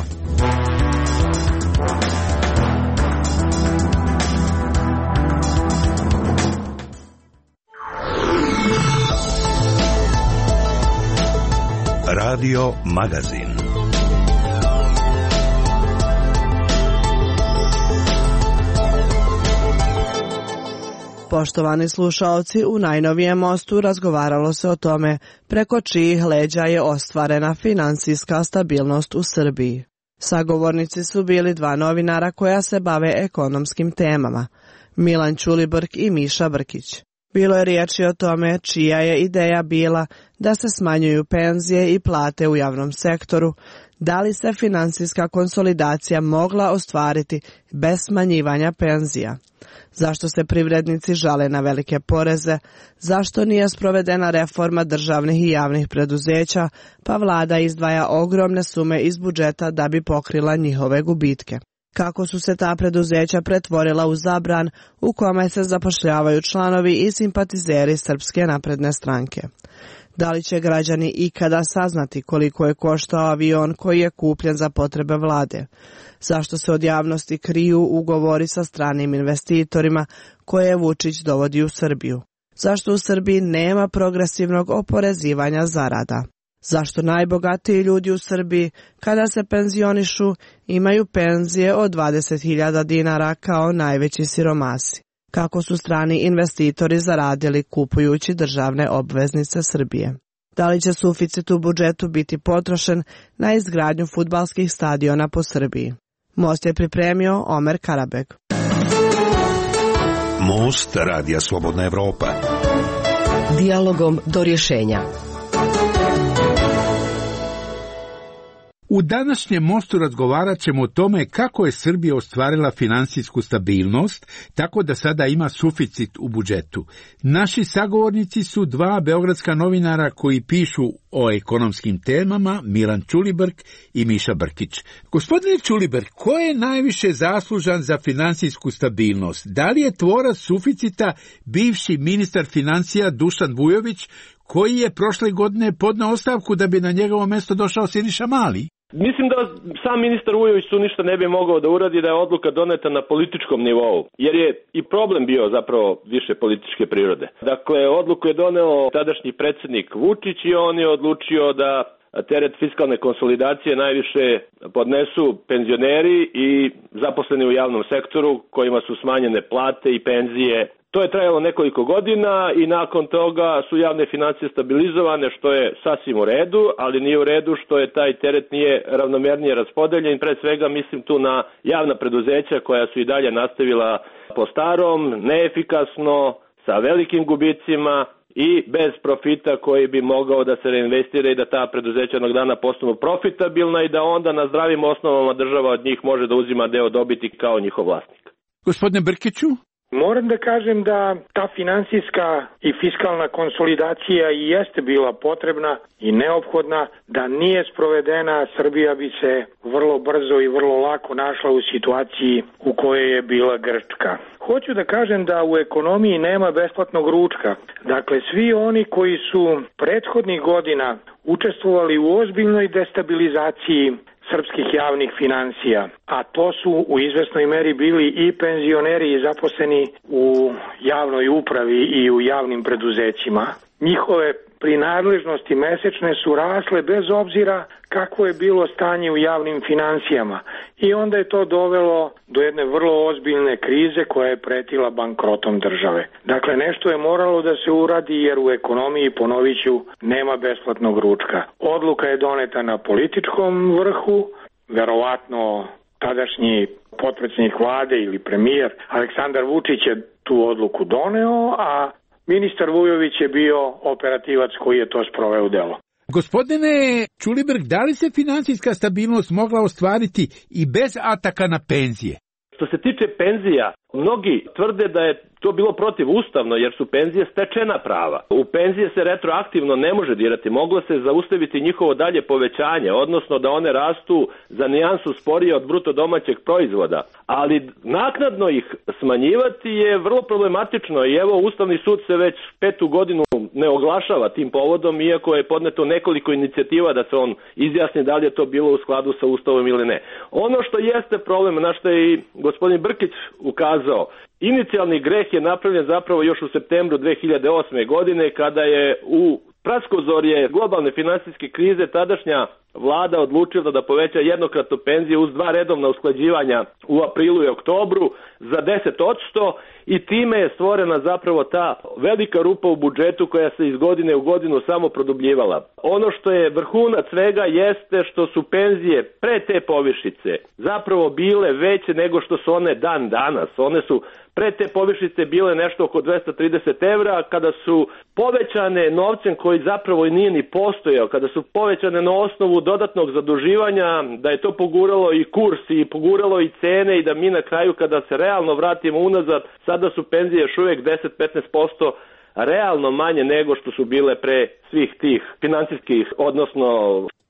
S10: Radio Magazin.
S11: Poštovani slušaoci, u najnovijem mostu razgovaralo se o tome preko čijih leđa je ostvarena finansijska stabilnost u Srbiji. Sagovornici su bili dva novinara koja se bave ekonomskim temama, Milan Ćulibrk i Miša Brkić. Bilo je riječi o tome čija je ideja bila da se smanjuju penzije i plate u javnom sektoru, da li se finansijska konsolidacija mogla ostvariti bez smanjivanja penzija, zašto se privrednici žale na velike poreze, zašto nije sprovedena reforma državnih i javnih preduzeća, pa vlada izdvaja ogromne sume iz budžeta da bi pokrila njihove gubitke. Kako su se ta preduzeća pretvorila u zabran u kome se zapošljavaju članovi i simpatizeri Srpske napredne stranke. Da li će građani ikada saznati koliko je koštao avion koji je kupljen za potrebe vlade? Zašto se od javnosti kriju ugovori sa stranim investitorima koje Vučić dovodi u Srbiju? Zašto u Srbiji nema progresivnog oporezivanja zarada? Zašto najbogatiji ljudi u Srbiji, kada se penzionišu, imaju penzije od dvadeset hiljada dinara kao najveći siromasi? Kako su strani investitori zaradili kupujući državne obveznice Srbije? Da li će suficit u budžetu biti potrošen na izgradnju fudbalskih stadiona po Srbiji? Most je pripremio Omer Karabeg.
S10: Most Radija Slobodna Evropa.
S8: Dijalogom do rješenja.
S12: U današnjem mostu razgovarat ćemo o tome kako je Srbija ostvarila finansijsku stabilnost, tako da sada ima suficit u budžetu. Naši sagovornici su dva beogradska novinara koji pišu o ekonomskim temama, Milan Ćulibrk i Miša Brkić. Gospodine Ćulibrk, ko je najviše zaslužan za finansijsku stabilnost? Da li je tvorac suficita bivši ministar financija Dušan Vujović, koji je prošle godine podneo ostavku da bi na njegovo mesto došao Siniša Mali?
S13: Mislim da sam ministar Vujović tu ništa ne bi mogao da uradi da je odluka doneta na političkom nivou, jer je i problem bio zapravo više političke prirode. Dakle, odluku je doneo tadašnji predsjednik Vučić i on je odlučio da teret fiskalne konsolidacije najviše podnesu penzioneri i zaposleni u javnom sektoru kojima su smanjene plate i penzije. To je trajalo nekoliko godina i nakon toga su javne financije stabilizovane, što je sasvim u redu, ali nije u redu što je taj teret nije ravnomernije raspodeljen. Pre svega mislim tu na javna preduzeća koja su i dalje nastavila po starom, neefikasno, sa velikim gubicima i bez profita koji bi mogao da se reinvestira i da ta preduzeća jednog dana postanu profitabilna i da onda na zdravim osnovama država od njih može da uzima deo dobiti kao njihov vlasnik.
S12: Gospodine Brkiću?
S14: Moram da kažem da ta finansijska i fiskalna konsolidacija i jeste bila potrebna i neophodna. Da nije sprovedena, Srbija bi se vrlo brzo i vrlo lako našla u situaciji u kojoj je bila Grčka. Hoću da kažem da u ekonomiji nema besplatnog ručka. Dakle, svi oni koji su prethodnih godina učestvovali u ozbiljnoj destabilizaciji srpskih javnih financija, a to su u izvesnoj meri bili i penzioneri i zaposleni u javnoj upravi i u javnim preduzećima. Njihove prinadležnosti mesečne su rasle bez obzira kako je bilo stanje u javnim financijama. I onda je to dovelo do jedne vrlo ozbiljne krize koja je pretila bankrotom države. Dakle, nešto je moralo da se uradi jer u ekonomiji, ponovit ću, nema besplatnog ručka. Odluka je doneta na političkom vrhu, verovatno tadašnji potpredsjednik vlade ili premijer Aleksandar Vučić je tu odluku doneo, a ministar Vujović je bio operativac koji je to sproveo u delo.
S12: Gospodine Ćulibrk, da li se financijska stabilnost mogla ostvariti i bez ataka na penzije?
S13: Što se tiče penzija, mnogi tvrde da je to bilo protivustavno jer su penzije stečena prava. U penzije se retroaktivno ne može dirati, moglo se zaustaviti njihovo dalje povećanje, odnosno da one rastu za nijansu sporije od bruto domaćeg proizvoda. Ali naknadno ih smanjivati je vrlo problematično i evo Ustavni sud se već petu godinu ne oglašava tim povodom, iako je podneto nekoliko inicijativa da se on izjasni da li je to bilo u skladu sa Ustavom ili ne. Ono što jeste problem, na što je i gospodin Brkić ukazao, inicijalni greh je napravljen zapravo još u septembru dve hiljade osme. godine kada je u praskozorje globalne finansijske krize tadašnja vlada odlučila da poveća jednokratnu penziju uz dva redovna usklađivanja u aprilu i oktobru za deset posto i time je stvorena zapravo ta velika rupa u budžetu koja se iz godine u godinu samo produbljivala. Ono što je vrhunac svega jeste što su penzije pre te povišice zapravo bile veće nego što su one dan danas. One su pre te povišice bile nešto oko dvesta trideset evra, kada su povećane novcem koji zapravo i nije ni postojao, kada su povećane na osnovu dodatnog zaduživanja, da je to poguralo i kurs i poguralo i cene i da mi na kraju kada se realno vratimo unazad, sada su penzije još uvijek deset do petnaest posto realno manje nego što su bile pre svih tih financijskih, odnosno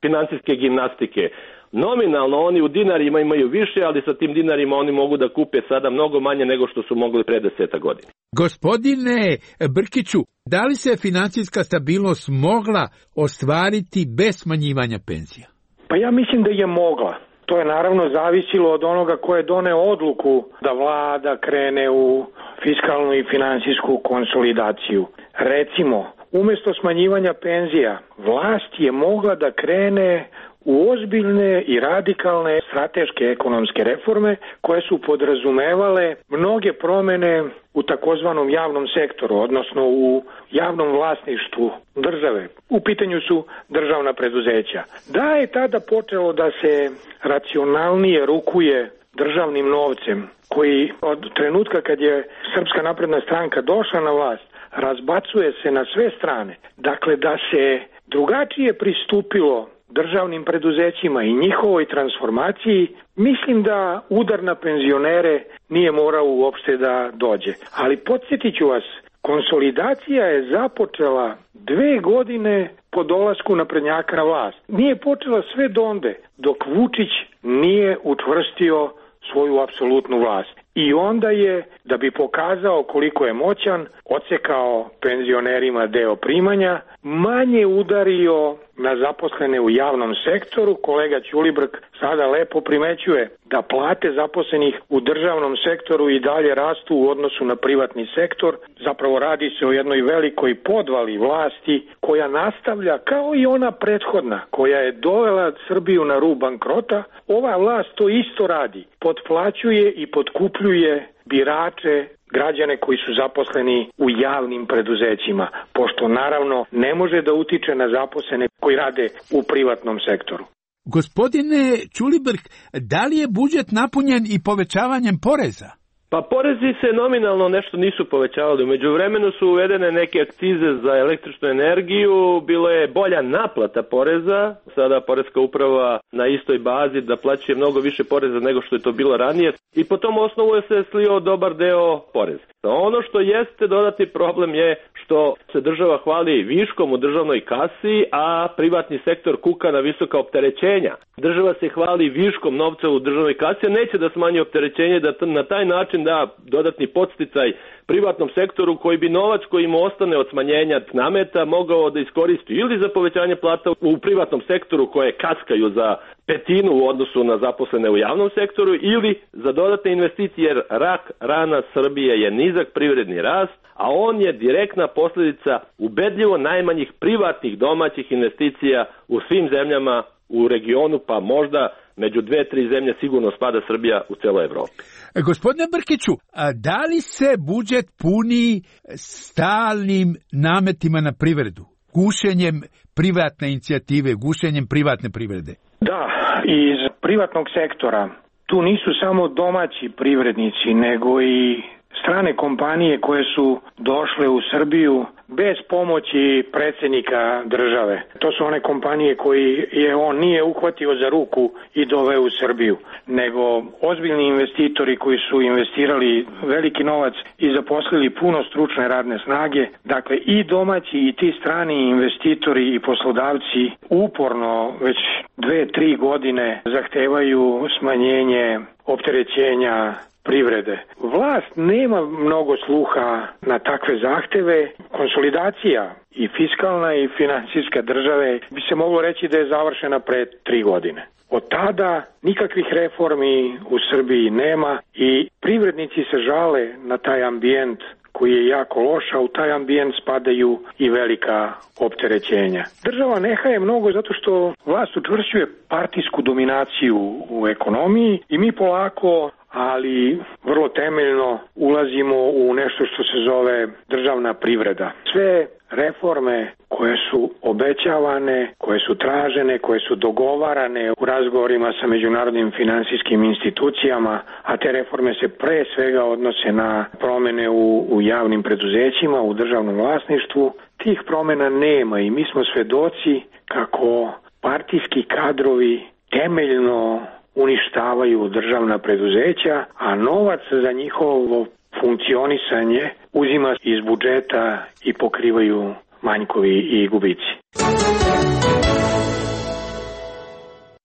S13: financijske gimnastike. Nominalno oni u dinarima imaju više, ali sa tim dinarima oni mogu da kupe sada mnogo manje nego što su mogli pre deseta godina.
S12: Gospodine Brkiću, da li se financijska stabilnost mogla ostvariti bez smanjivanja penzija?
S14: Pa ja mislim da je mogla. To je naravno zavisilo od onoga ko je doneo odluku da vlada krene u fiskalnu i finansijsku konsolidaciju. Recimo, umjesto smanjivanja penzija, vlast je mogla da krene u ozbiljne i radikalne strateške ekonomske reforme koje su podrazumevale mnoge promjene u takozvanom javnom sektoru, odnosno u javnom vlasništvu države. U pitanju su državna preduzeća. Da je tada počelo da se racionalnije rukuje državnim novcem, koji od trenutka kad je Srpska napredna stranka došla na vlast, razbacuje se na sve strane. Dakle, da se drugačije pristupilo državnim preduzećima i njihovoj transformaciji, mislim da udar na penzionere nije morao uopšte da dođe. Ali podsjetit ću vas, konsolidacija je započela dve godine po dolasku naprednjaka na vlast. Nije počela sve donde, dok Vučić nije učvrstio svoju apsolutnu vlast. I onda je, da bi pokazao koliko je moćan, odsekao penzionerima deo primanja, manje udario na zaposlene u javnom sektoru. Kolega Ćulibrk sada lepo primećuje da plate zaposlenih u državnom sektoru i dalje rastu u odnosu na privatni sektor. Zapravo radi se o jednoj velikoj podvali vlasti koja nastavlja kao i ona prethodna koja je dovela Srbiju na rub bankrota. Ova vlast to isto radi. Potplaćuje i potkupljuje birače, građane koji su zaposleni u javnim preduzećima, pošto naravno ne može da utiče na zaposlene koji rade u privatnom sektoru.
S12: Gospodine Ćulibrk, da li je budžet napunjen i povećavanjem poreza?
S13: Pa porezi se nominalno nešto nisu povećavali. U međuvremenu su uvedene neke akcize za električnu energiju, bilo je bolja naplata poreza, sada poreska uprava na istoj bazi da plaćuje mnogo više poreza nego što je to bilo ranije i po tom osnovu je se slio dobar deo poreza. Ono što jeste dodatni problem je što se država hvali viškom u državnoj kasi, a privatni sektor kuka na visoka opterećenja. Država se hvali viškom novca u državnoj kasi, a neće da smanji opterećenje, da na taj način da dodatni podsticaj privatnom sektoru koji bi novac koji mu ostane od smanjenja nameta mogao da iskoristi ili za povećanje plata u privatnom sektoru koje kaskaju za petinu u odnosu na zaposlene u javnom sektoru ili za dodatne investicije, jer rak rana Srbije je nizak privredni rast, a on je direktna posljedica ubedljivo najmanjih privatnih domaćih investicija u svim zemljama u regionu, pa možda među dve, tri zemlje sigurno spada Srbija u celoj Evropi.
S12: Gospodine Brkiću, a da li se budžet puni stalnim nametima na privredu, gušenjem privatne inicijative, gušenjem privatne privrede?
S14: Da, iz privatnog sektora tu nisu samo domaći privrednici, nego i strane kompanije koje su došle u Srbiju bez pomoći predsjednika države. To su one kompanije koji je on nije uhvatio za ruku i doveo u Srbiju, nego ozbiljni investitori koji su investirali veliki novac i zaposlili puno stručne radne snage. Dakle, i domaći i ti strani investitori i poslodavci uporno već dve, tri godine zahtevaju smanjenje opterećenja privrede. Vlast nema mnogo sluha na takve zahteve. Konsolidacija i fiskalna i financijska države bi se moglo reći da je završena pre tri godine. Od tada nikakvih reformi u Srbiji nema i privrednici se žale na taj ambijent koji je jako loš, a u taj ambijent spadaju i velika opterećenja. Država ne haje mnogo zato što vlast učvršćuje partijsku dominaciju u ekonomiji i mi polako, ali vrlo temeljno ulazimo u nešto što se zove državna privreda. Sve reforme koje su obećavane, koje su tražene, koje su dogovarane u razgovorima sa međunarodnim finansijskim institucijama, a te reforme se pre svega odnose na promjene u, u javnim preduzećima, u državnom vlasništvu, tih promjena nema i mi smo svedoci kako partijski kadrovi temeljno uništavaju državna preduzeća, a novac za njihovo funkcionisanje uzima iz budžeta i pokrivaju manjkovi i gubici.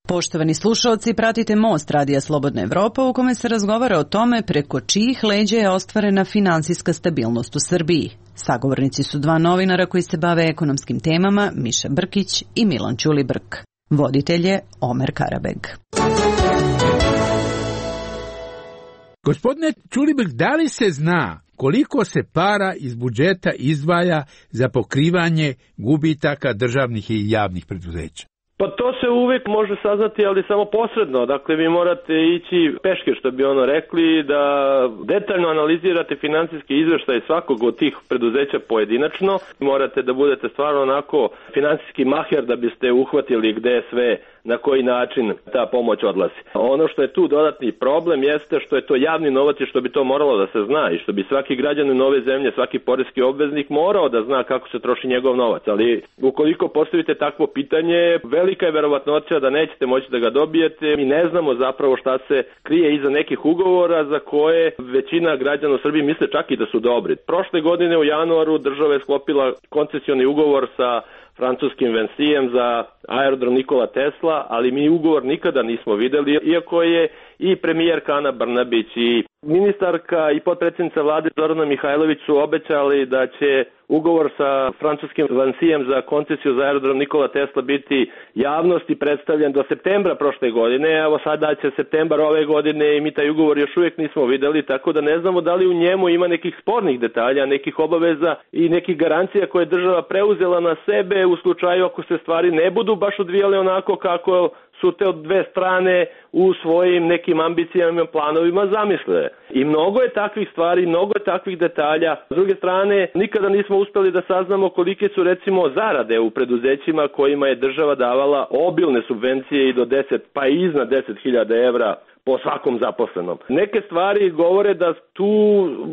S23: Poštovani slušalci, pratite Most Radija Slobodna Evropa u kome se razgovara o tome preko čijih leđa je ostvarena finansijska stabilnost u Srbiji. Sagovornici su dva novinara koji se bave ekonomskim temama, Miša Brkić i Milan Ćulibrk. Voditelj je Omer Karabeg.
S12: Gospodine Ćulibrk, da li se zna koliko se para iz budžeta izdvaja za pokrivanje gubitaka državnih i javnih preduzeća?
S13: Pa to se uvijek može saznati, ali samo posredno. Dakle, vi morate ići peške, što bi ono rekli, da detaljno analizirate financijski izveštaj svakog od tih preduzeća pojedinačno. Morate da budete stvarno onako financijski maher da biste uhvatili gde sve, na koji način ta pomoć odlazi. Ono što je tu dodatni problem jeste što je to javni novac i što bi to moralo da se zna i što bi svaki građanin nove zemlje, svaki poreski obveznik morao da zna kako se troši njegov novac. Ali ukoliko postavite takvo pitanje, velika je verovatnoća da nećete moći da ga dobijete. Mi ne znamo zapravo šta se krije iza nekih ugovora za koje većina građana u Srbiji misle čak i da su dobri. Prošle godine u januaru država je sklopila koncesioni ugovor sa francuskim Vincijem za aerodrom Nikola Tesla, ali mi ugovor nikada nismo videli, iako je i premijerka Ana Brnabić i ministarka i potpredsjednica vlade Zorana Mihajlović su obećali da će ugovor sa francuskim Vincijem za koncesiju za aerodrom Nikola Tesla biti javnosti predstavljen do septembra prošle godine. Evo sada će septembar ove godine i mi taj ugovor još uvijek nismo videli, tako da ne znamo da li u njemu ima nekih spornih detalja, nekih obaveza i nekih garancija koje je država preuzela na sebe u slučaju ako se stvari ne budu baš odvijale onako kako su te od dve strane u svojim nekim ambicijama i planovima zamisle. I mnogo je takvih stvari, mnogo je takvih detalja. S druge strane, nikada nismo uspeli da saznamo kolike su recimo zarade u preduzećima kojima je država davala obilne subvencije i do deset, pa i iznad deset hiljada evra po svakom zaposlenom. Neke stvari govore da tu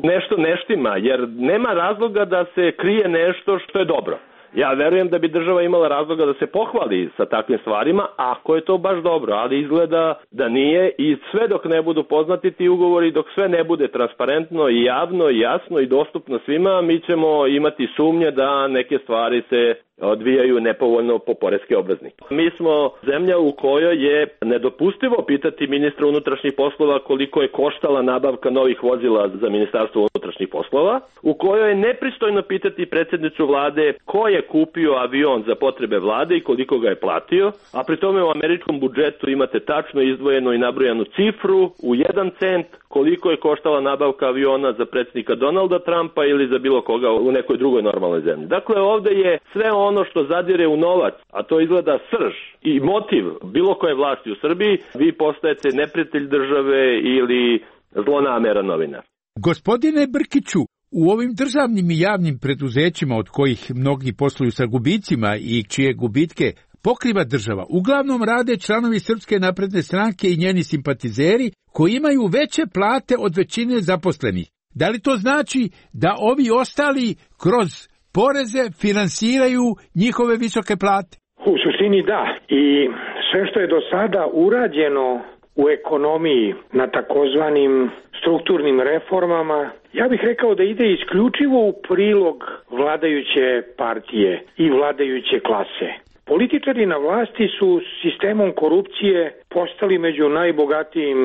S13: nešto ne štima, jer nema razloga da se krije nešto što je dobro. Ja verujem da bi država imala razloga da se pohvali sa takvim stvarima, ako je to baš dobro, ali izgleda da nije i sve dok ne budu poznati ti ugovori, dok sve ne bude transparentno i javno i jasno i dostupno svima, mi ćemo imati sumnje da neke stvari se odvijaju nepovoljno po poreske obveznike. Mi smo zemlja u kojoj je nedopustivo pitati ministra unutrašnjih poslova koliko je koštala nabavka novih vozila za Ministarstvo unutrašnjih poslova, u kojoj je nepristojno pitati predsjednicu vlade ko je kupio avion za potrebe vlade i koliko ga je platio, a pri tome u američkom budžetu imate tačno izdvojenu i nabrojanu cifru u jedan cent koliko je koštala nabavka aviona za predsjednika Donalda Trumpa ili za bilo koga u nekoj drugoj normalnoj zemlji. Dakle, ovde je sve ono što zadire u novac, a to izgleda srž i motiv bilo koje vlasti u Srbiji, vi postajete neprijatelj države ili zlonameran novinar.
S12: Gospodine Brkiću, u ovim državnim i javnim preduzećima od kojih mnogi posluju sa gubicima i čije gubitke pokriva država, uglavnom rade članovi Srpske napredne stranke i njeni simpatizeri koji imaju veće plate od većine zaposlenih. Da li to znači da ovi ostali kroz poreze finansiraju njihove visoke plate?
S14: U suštini da. I sve što je do sada urađeno u ekonomiji na takozvanim strukturnim reformama, ja bih rekao da ide isključivo u prilog vladajuće partije i vladajuće klase. Političari na vlasti su sistemom korupcije postali među najbogatijim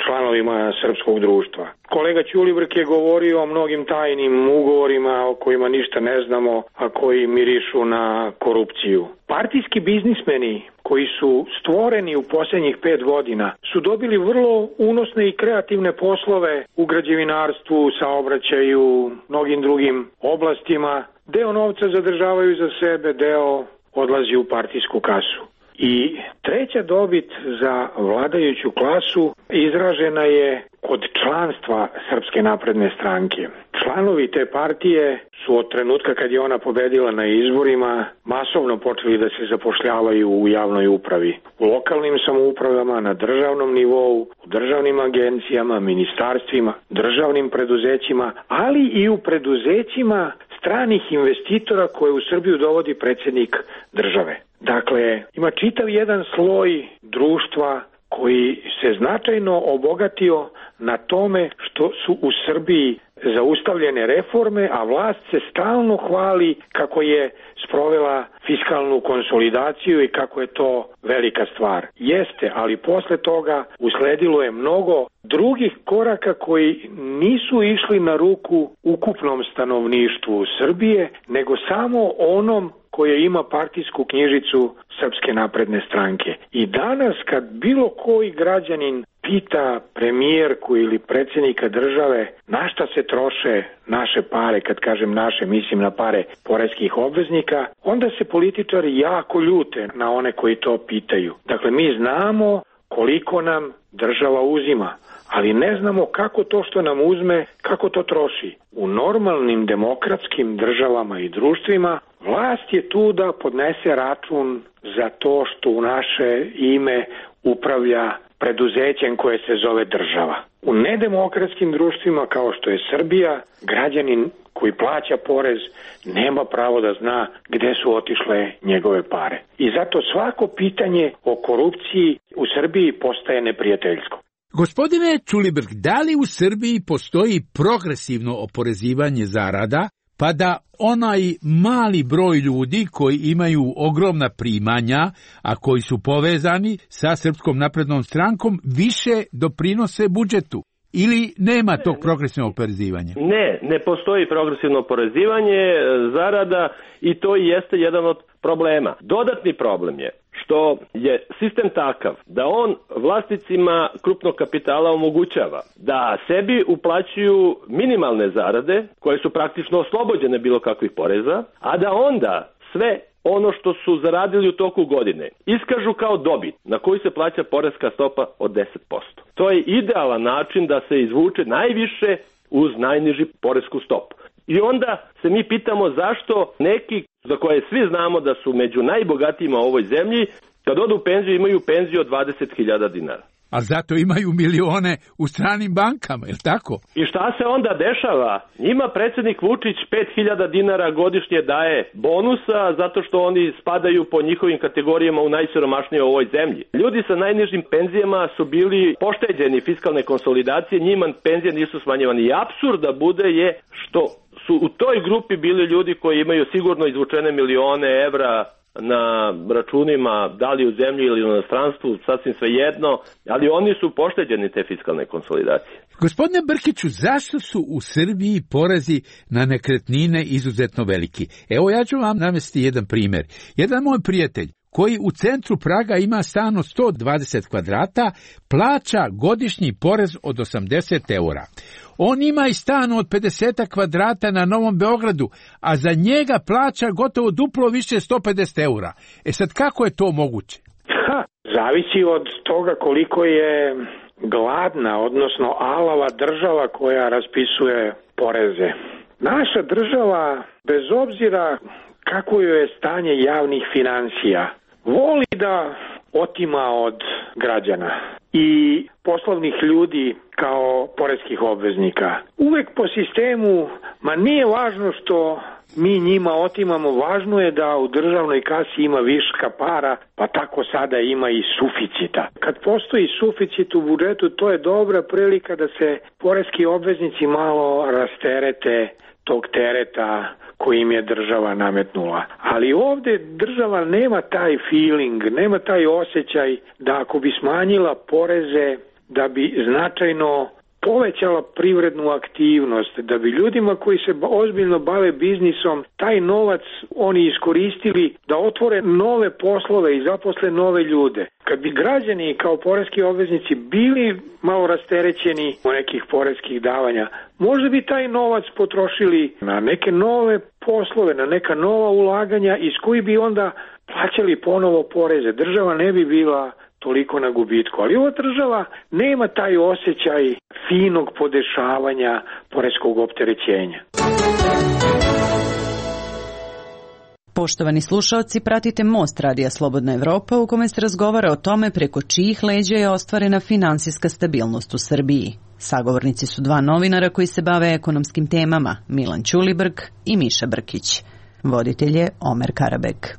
S14: članovima srpskog društva. Kolega Ćulibrk je govorio o mnogim tajnim ugovorima o kojima ništa ne znamo, a koji mirišu na korupciju. Partijski biznismeni koji su stvoreni u posljednjih pet godina su dobili vrlo unosne i kreativne poslove u građevinarstvu, saobraćaju, mnogim drugim oblastima. Deo novca zadržavaju za sebe, deo odlazi u partijsku kasu. I treća dobit za vladajuću klasu izražena je kod članstva Srpske napredne stranke. Članovi te partije su od trenutka kad je ona pobedila na izborima masovno počeli da se zapošljavaju u javnoj upravi, u lokalnim samoupravama, na državnom nivou, u državnim agencijama, ministarstvima, državnim preduzećima, ali i u preduzećima stranih investitora koje u Srbiju dovodi predsjednik države. Dakle, ima čitav jedan sloj društva koji se značajno obogatio na tome što su u Srbiji zaustavljene reforme, a vlast se stalno hvali kako je sprovela fiskalnu konsolidaciju i kako je to velika stvar. Jeste, ali posle toga usledilo je mnogo drugih koraka koji nisu išli na ruku ukupnom stanovništvu Srbije, nego samo onom koje ima partijsku knjižicu Srpske napredne stranke. I danas kad bilo koji građanin pita premijerku ili predsjednika države na šta se troše naše pare, kad kažem naše, mislim na pare poreskih obveznika, onda se političari jako ljute na one koji to pitaju. Dakle, mi znamo koliko nam država uzima, ali ne znamo kako to što nam uzme, kako to troši. U normalnim demokratskim državama i društvima vlast je tu da podnese račun za to što u naše ime upravlja preduzećem koje se zove država. U nedemokratskim društvima kao što je Srbija, građanin koji plaća porez nema pravo da zna gde su otišle njegove pare. I zato svako pitanje o korupciji u Srbiji postaje neprijateljsko.
S12: Gospodine Ćulibrk, da li u Srbiji postoji progresivno oporezivanje zarada, pa da onaj mali broj ljudi koji imaju ogromna primanja, a koji su povezani sa Srpskom naprednom strankom, više doprinose budžetu? Ili nema tog progresivnog oporezivanja?
S13: Ne, ne postoji progresivno oporezivanje zarada i to i jeste jedan od problema. Dodatni problem je što je sistem takav da on vlasnicima krupnog kapitala omogućava da sebi uplaćuju minimalne zarade koje su praktično oslobođene bilo kakvih poreza, a da onda sve ono što su zaradili u toku godine iskažu kao dobit na koju se plaća poreska stopa od deset posto. To je idealan način da se izvuče najviše uz najniži poresku stopu. I onda se mi pitamo zašto neki za koje svi znamo da su među najbogatijima u ovoj zemlji, kad odu u penziju imaju penziju od dvadeset hiljada dinara.
S12: A zato imaju milione u stranim bankama, je li tako?
S13: I šta se onda dešava? Njima predsjednik Vučić pet hiljada dinara godišnje daje bonusa zato što oni spadaju po njihovim kategorijama u najsiromašnije u ovoj zemlji. Ljudi sa najnižim penzijama su bili pošteđeni fiskalne konsolidacije, njima penzije nisu smanjivane. I apsurd da bude je što su u toj grupi bili ljudi koji imaju sigurno izvučene milione evra na računima, da li u zemlji ili u inostranstvu, sasvim svejedno, ali oni su pošteđeni te fiskalne konsolidacije.
S12: Gospodine Brkiću, zašto su u Srbiji porezi na nekretnine izuzetno veliki? Evo, ja ću vam navesti jedan primjer. Jedan moj prijatelj koji u centru Praga ima stan od sto dvadeset kvadrata, plaća godišnji porez od osamdeset eura. On ima i stan od pedeset kvadrata na Novom Beogradu, a za njega plaća gotovo duplo više sto pedeset eura. E sad, kako je to moguće?
S14: Ha, zavisi od toga koliko je gladna, odnosno alava država koja raspisuje poreze. Naša država, bez obzira kako joj je stanje javnih finansija, voli da otima od građana i poslovnih ljudi kao poreskih obveznika. Uvek po sistemu, ma nije važno što mi njima otimamo, važno je da u državnoj kasi ima viška para, pa tako sada ima i suficita. Kad postoji suficit u budžetu, to je dobra prilika da se poreski obveznici malo rasterete tog tereta koji im je država nametnula. Ali ovde država nema taj feeling, nema taj osjećaj da ako bi smanjila poreze, da bi značajno povećala privrednu aktivnost, da bi ljudima koji se ozbiljno bave biznisom taj novac oni iskoristili da otvore nove poslove i zaposle nove ljude. Kad bi građani kao poreski obveznici bili malo rasterećeni od nekih poreskih davanja, možda bi taj novac potrošili na neke nove poslove, na neka nova ulaganja iz koji bi onda plaćali ponovo poreze. Država ne bi bila toliko na gubitku, ali ova država nema taj osjećaj finog podešavanja poreskog opterećenja.
S23: Poštovani slušaoci, pratite Most Radija Slobodna Evropa u kome se razgovara o tome preko čijih leđa je ostvarena finansijska stabilnost u Srbiji. Sagovornici su dva novinara koji se bave ekonomskim temama, Milan Ćulibrk i Miša Brkić. Voditelj je Omer Karabek.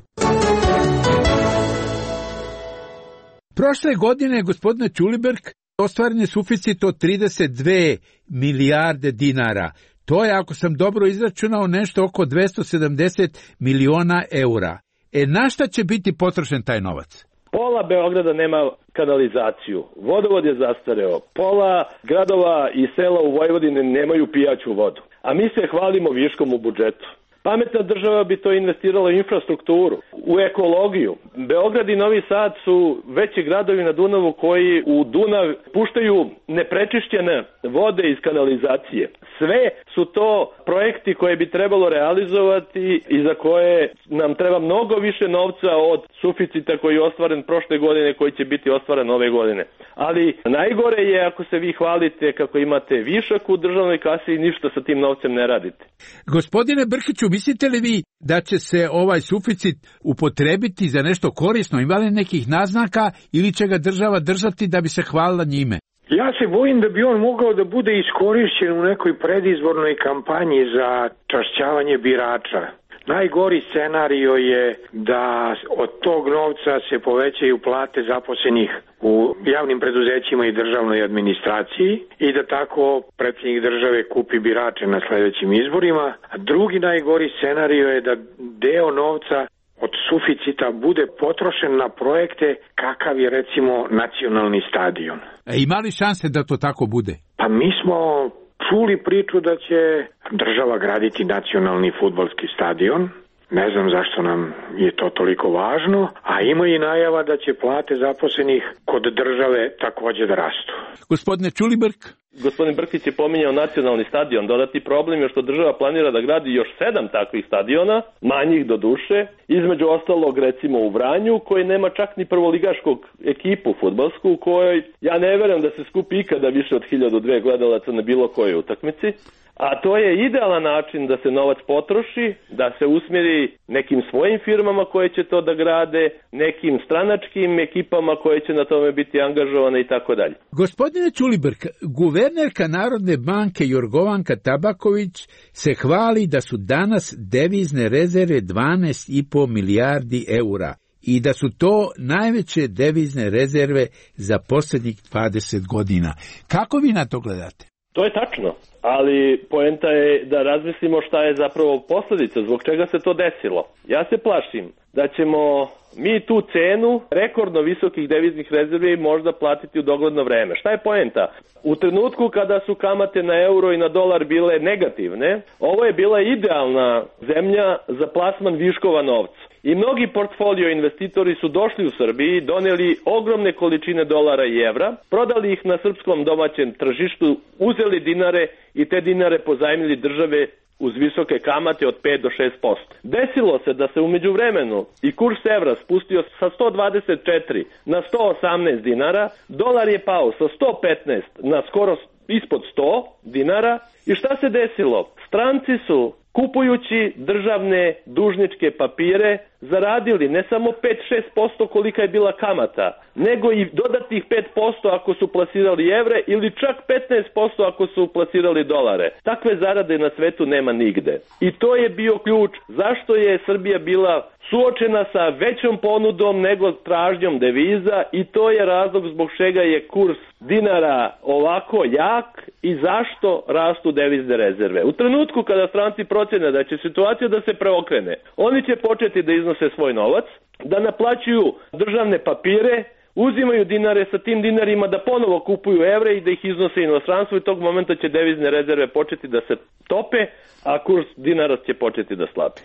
S12: Prošle godine, gospodine Ćulibrk, ostvaren je suficit od trideset dve milijarde dinara. To je, ako sam dobro izračunao, nešto oko dvesta sedamdeset miliona eura. E, na šta će biti potrošen taj novac?
S13: Pola Beograda nema kanalizaciju, vodovod je zastareo, pola gradova i sela u Vojvodini nemaju pijaću vodu, a mi se hvalimo viškom u budžetu. Pametna država bi to investirala u infrastrukturu, u ekologiju. Beograd i Novi Sad su veći gradovi na Dunavu koji u Dunav puštaju neprečišćene vode iz kanalizacije. Sve su to projekti koje bi trebalo realizovati i za koje nam treba mnogo više novca od suficita koji je ostvaren prošle godine, koji će biti ostvaren ove godine. Ali najgore je ako se vi hvalite kako imate višak u državnoj kasi i ništa sa tim novcem ne radite.
S12: Gospodine Brkiću, mislite li vi da će se ovaj suficit upotrebiti za nešto korisno? Ima li nekih naznaka ili će ga država držati da bi se hvalila njime?
S14: Ja se bojim da bi on mogao da bude iskorišćen u nekoj predizbornoj kampanji za čašćavanje birača. Najgori scenario je da od tog novca se povećaju plate zaposlenih u javnim preduzećima i državnoj administraciji i da tako predsjednik države kupi birače na sledećim izborima. A drugi najgori scenario je da deo novca od suficita bude potrošen na projekte kakav je recimo nacionalni stadion.
S12: E, ima li šanse da to tako bude?
S14: Pa mi smo čuli priču da će država graditi nacionalni fudbalski stadion. Ne znam zašto nam je to toliko važno, a ima i najava da će plate zaposlenih kod države takođe da rastu.
S12: Gospodine Ćulibrk?
S13: Gospodin Brkić je pominjao nacionalni stadion. Dodatni problem je što država planira da gradi još sedam takvih stadiona, manjih do duše, između ostalog recimo u Vranju, koji nema čak ni prvoligaškog ekipu fudbalsku, u kojoj ja ne verujem da se skupi ikada više od hiljadu dve gledalaca na bilo kojoj utakmici. A to je idealan način da se novac potroši, da se usmjeri nekim svojim firmama koje će to da grade, nekim stranačkim ekipama koje će na tome biti angažovane i tako dalje.
S12: Gospodine Ćulibrk, guvernerka Narodne banke Jorgovanka Tabaković se hvali da su danas devizne rezerve dvanaest i po milijardi eura i da su to najveće devizne rezerve za posljednjih dvadeset godina. Kako vi na to gledate?
S13: To je tačno, ali poenta je da razmislimo šta je zapravo posljedica, zbog čega se to desilo. Ja se plašim da ćemo mi tu cenu rekordno visokih deviznih rezervi možda platiti u dogledno vreme. Šta je poenta? U trenutku kada su kamate na euro i na dolar bile negativne, ovo je bila idealna zemlja za plasman viškova novca. I mnogi portfolio investitori su došli u Srbiji, doneli ogromne količine dolara i evra, prodali ih na srpskom domaćem tržištu, uzeli dinare i te dinare pozajmili države uz visoke kamate od pet do šest posto. Desilo se da se u međuvremenu i kurs evra spustio sa sto dvadeset četiri na sto osamnaest dinara, dolar je pao sa sto petnaest na skoro ispod sto dinara i šta se desilo? Stranci su kupujući državne dužničke papire zaradili ne samo pet do šest posto kolika je bila kamata, nego i dodatnih pet posto ako su plasirali evre ili čak petnaest posto ako su plasirali dolare. Takve zarade na svetu nema nigde. I to je bio ključ zašto je Srbija bila suočena sa većom ponudom nego tražnjom deviza i to je razlog zbog čega je kurs dinara ovako jak i zašto rastu devizne rezerve. U trenutku kada stranci procene da će situacija da se preokrene, oni će početi da iznose svoj novac, da naplaćuju državne papire, uzimaju dinare, sa tim dinarima da ponovo kupuju evre i da ih iznose inostranstvo i tog momenta će devizne rezerve početi da se tope, a kurs dinara će početi da slabi.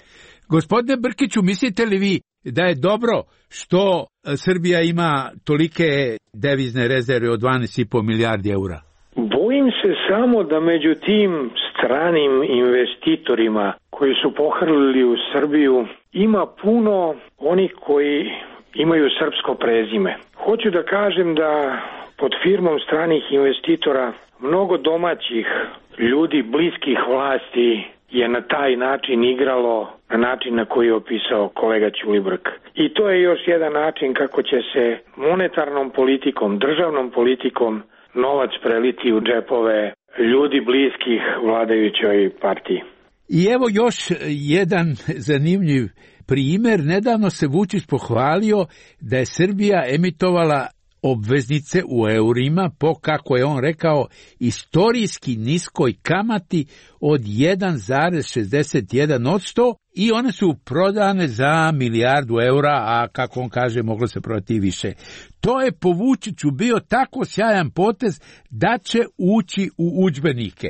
S12: Gospodine Brkiću, mislite li vi da je dobro što Srbija ima tolike devizne rezerve od dvanaest i po milijardi eura?
S14: Bojim se samo da među tim stranim investitorima koji su pohrlili u Srbiju ima puno onih koji imaju srpsko prezime. Hoću da kažem da pod firmom stranih investitora mnogo domaćih ljudi bliskih vlasti je na taj način igralo na način na koji je opisao kolega Ćulibrk. I to je još jedan način kako će se monetarnom politikom, državnom politikom novac preliti u džepove ljudi bliskih vladajućoj partiji.
S12: I evo još jedan zanimljiv primjer. Nedavno se Vučić pohvalio da je Srbija emitovala obveznice u eurima po, kako je on rekao, istorijski niskoj kamati od jedan zarez šezdeset jedan posto i one su prodane za milijardu eura, a kako on kaže moglo se prodati i više. To je po Vučiću bio tako sjajan potez da će ući u udžbenike.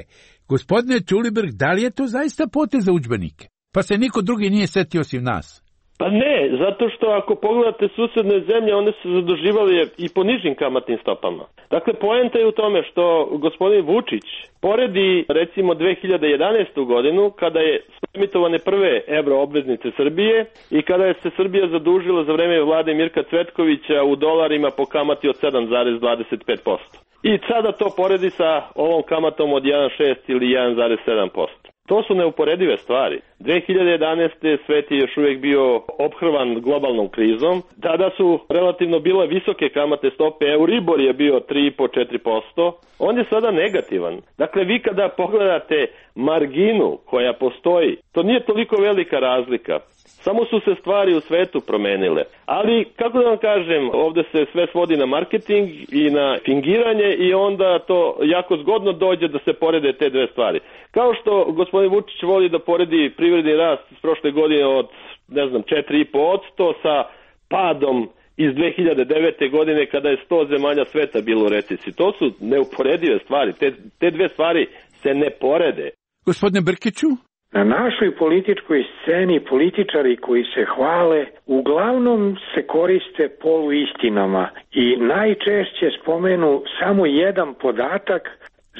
S12: Gospodine Ćulibrk, da li je to zaista potez za udžbenike? Pa se niko drugi nije setio osim nas.
S13: Pa ne, zato što ako pogledate susedne zemlje, one su zaduživali i po nižim kamatnim stopama. Dakle, poenta je u tome što gospodin Vučić poredi recimo dve hiljade jedanaestu godinu kada je emitovane prve evro obveznice Srbije i kada je se Srbija zadužila za vreme vlade Mirka Cvetkovića u dolarima po kamati od sedam zarez dvadeset pet posto. I sada to poredi sa ovom kamatom od jedan zarez šest ili jedan zarez sedam posto. To su neuporedive stvari. dve hiljade jedanaeste svet je još uvijek bio ophrvan globalnom krizom. Tada su relativno bile visoke kamate stope, Euribor je bio tri zarez pet do četiri posto. On je sada negativan. Dakle, vi kada pogledate marginu koja postoji, to nije toliko velika razlika. Samo su se stvari u svetu promenile. Ali, kako da vam kažem, ovdje se sve svodi na marketing i na fingiranje i onda to jako zgodno dođe da se porede te dve stvari. Kao što gospodin Vučić voli da poredi privredni rast iz prošle godine od, ne znam, četiri zarez pet posto sa padom iz dve hiljade devete. godine kada je sto zemalja sveta bilo u recesiji. To su neuporedive stvari. Te, te dve stvari se ne porede.
S12: Gospodine Brkiću?
S14: Na našoj političkoj sceni političari koji se hvale uglavnom se koriste poluistinama i najčešće spomenu samo jedan podatak,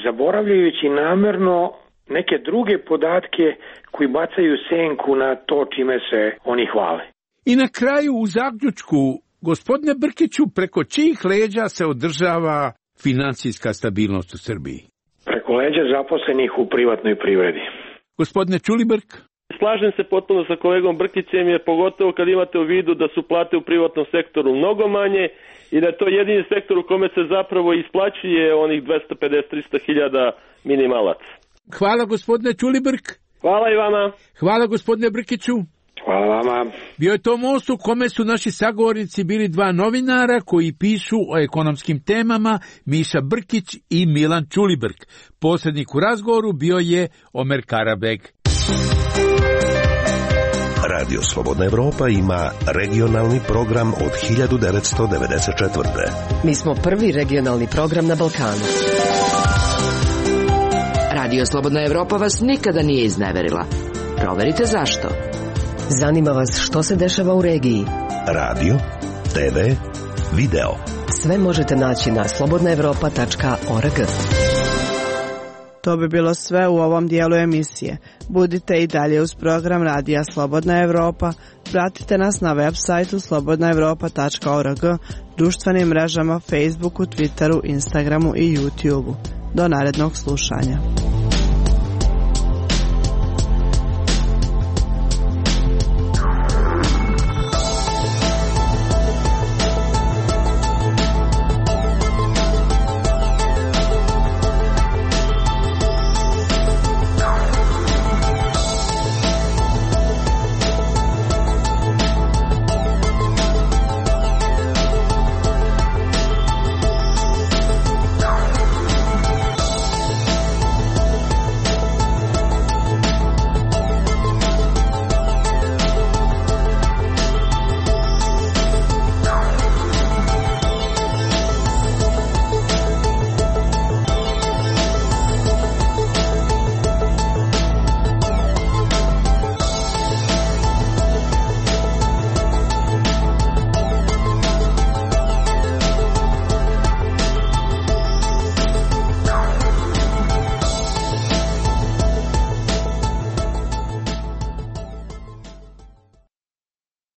S14: zaboravljajući namerno neke druge podatke koji bacaju senku na to čime se oni hvale.
S12: I na kraju u zaključku, gospodine Brkiću, preko čijih leđa se održava finansijska stabilnost u Srbiji?
S14: Preko leđa zaposlenih u privatnoj privredi.
S12: Gospodine Ćulibrk?
S13: Slažem se potpuno sa kolegom Brkićem, jer pogotovo kad imate u vidu da su plate u privatnom sektoru mnogo manje i da je to jedini sektor u kome se zapravo isplaćuje onih dvesta pedeset do trista hiljada minimalaca.
S12: Hvala gospodine Ćulibrk.
S13: Hvala i vama.
S12: Hvala gospodine Brkiću.
S3: Hvala vama.
S12: Bio je to most u kome su naši sagovornici bili dva novinara koji pišu o ekonomskim temama, Miša Brkić i Milan Čulibrk. Posrednik u razgovoru bio je Omer Karabeg.
S10: Radio Slobodna Evropa ima regionalni program od hiljadu devetsto devedeset četvrte.
S4: Mi smo prvi regionalni program na Balkanu.
S8: Radio Slobodna Evropa vas nikada nije izneverila. Proverite zašto.
S4: Zanima vas što se dešava u regiji.
S10: Radio, te ve, video.
S4: Sve možete naći na slobodna evropa tačka org.
S11: To bi bilo sve u ovom dijelu emisije. Budite i dalje uz program Radija Slobodna Evropa. Pratite nas na web sajtu slobodna evropa tačka org, društvenim mrežama Facebooku, Twitteru, Instagramu i YouTubeu. Do narednog slušanja.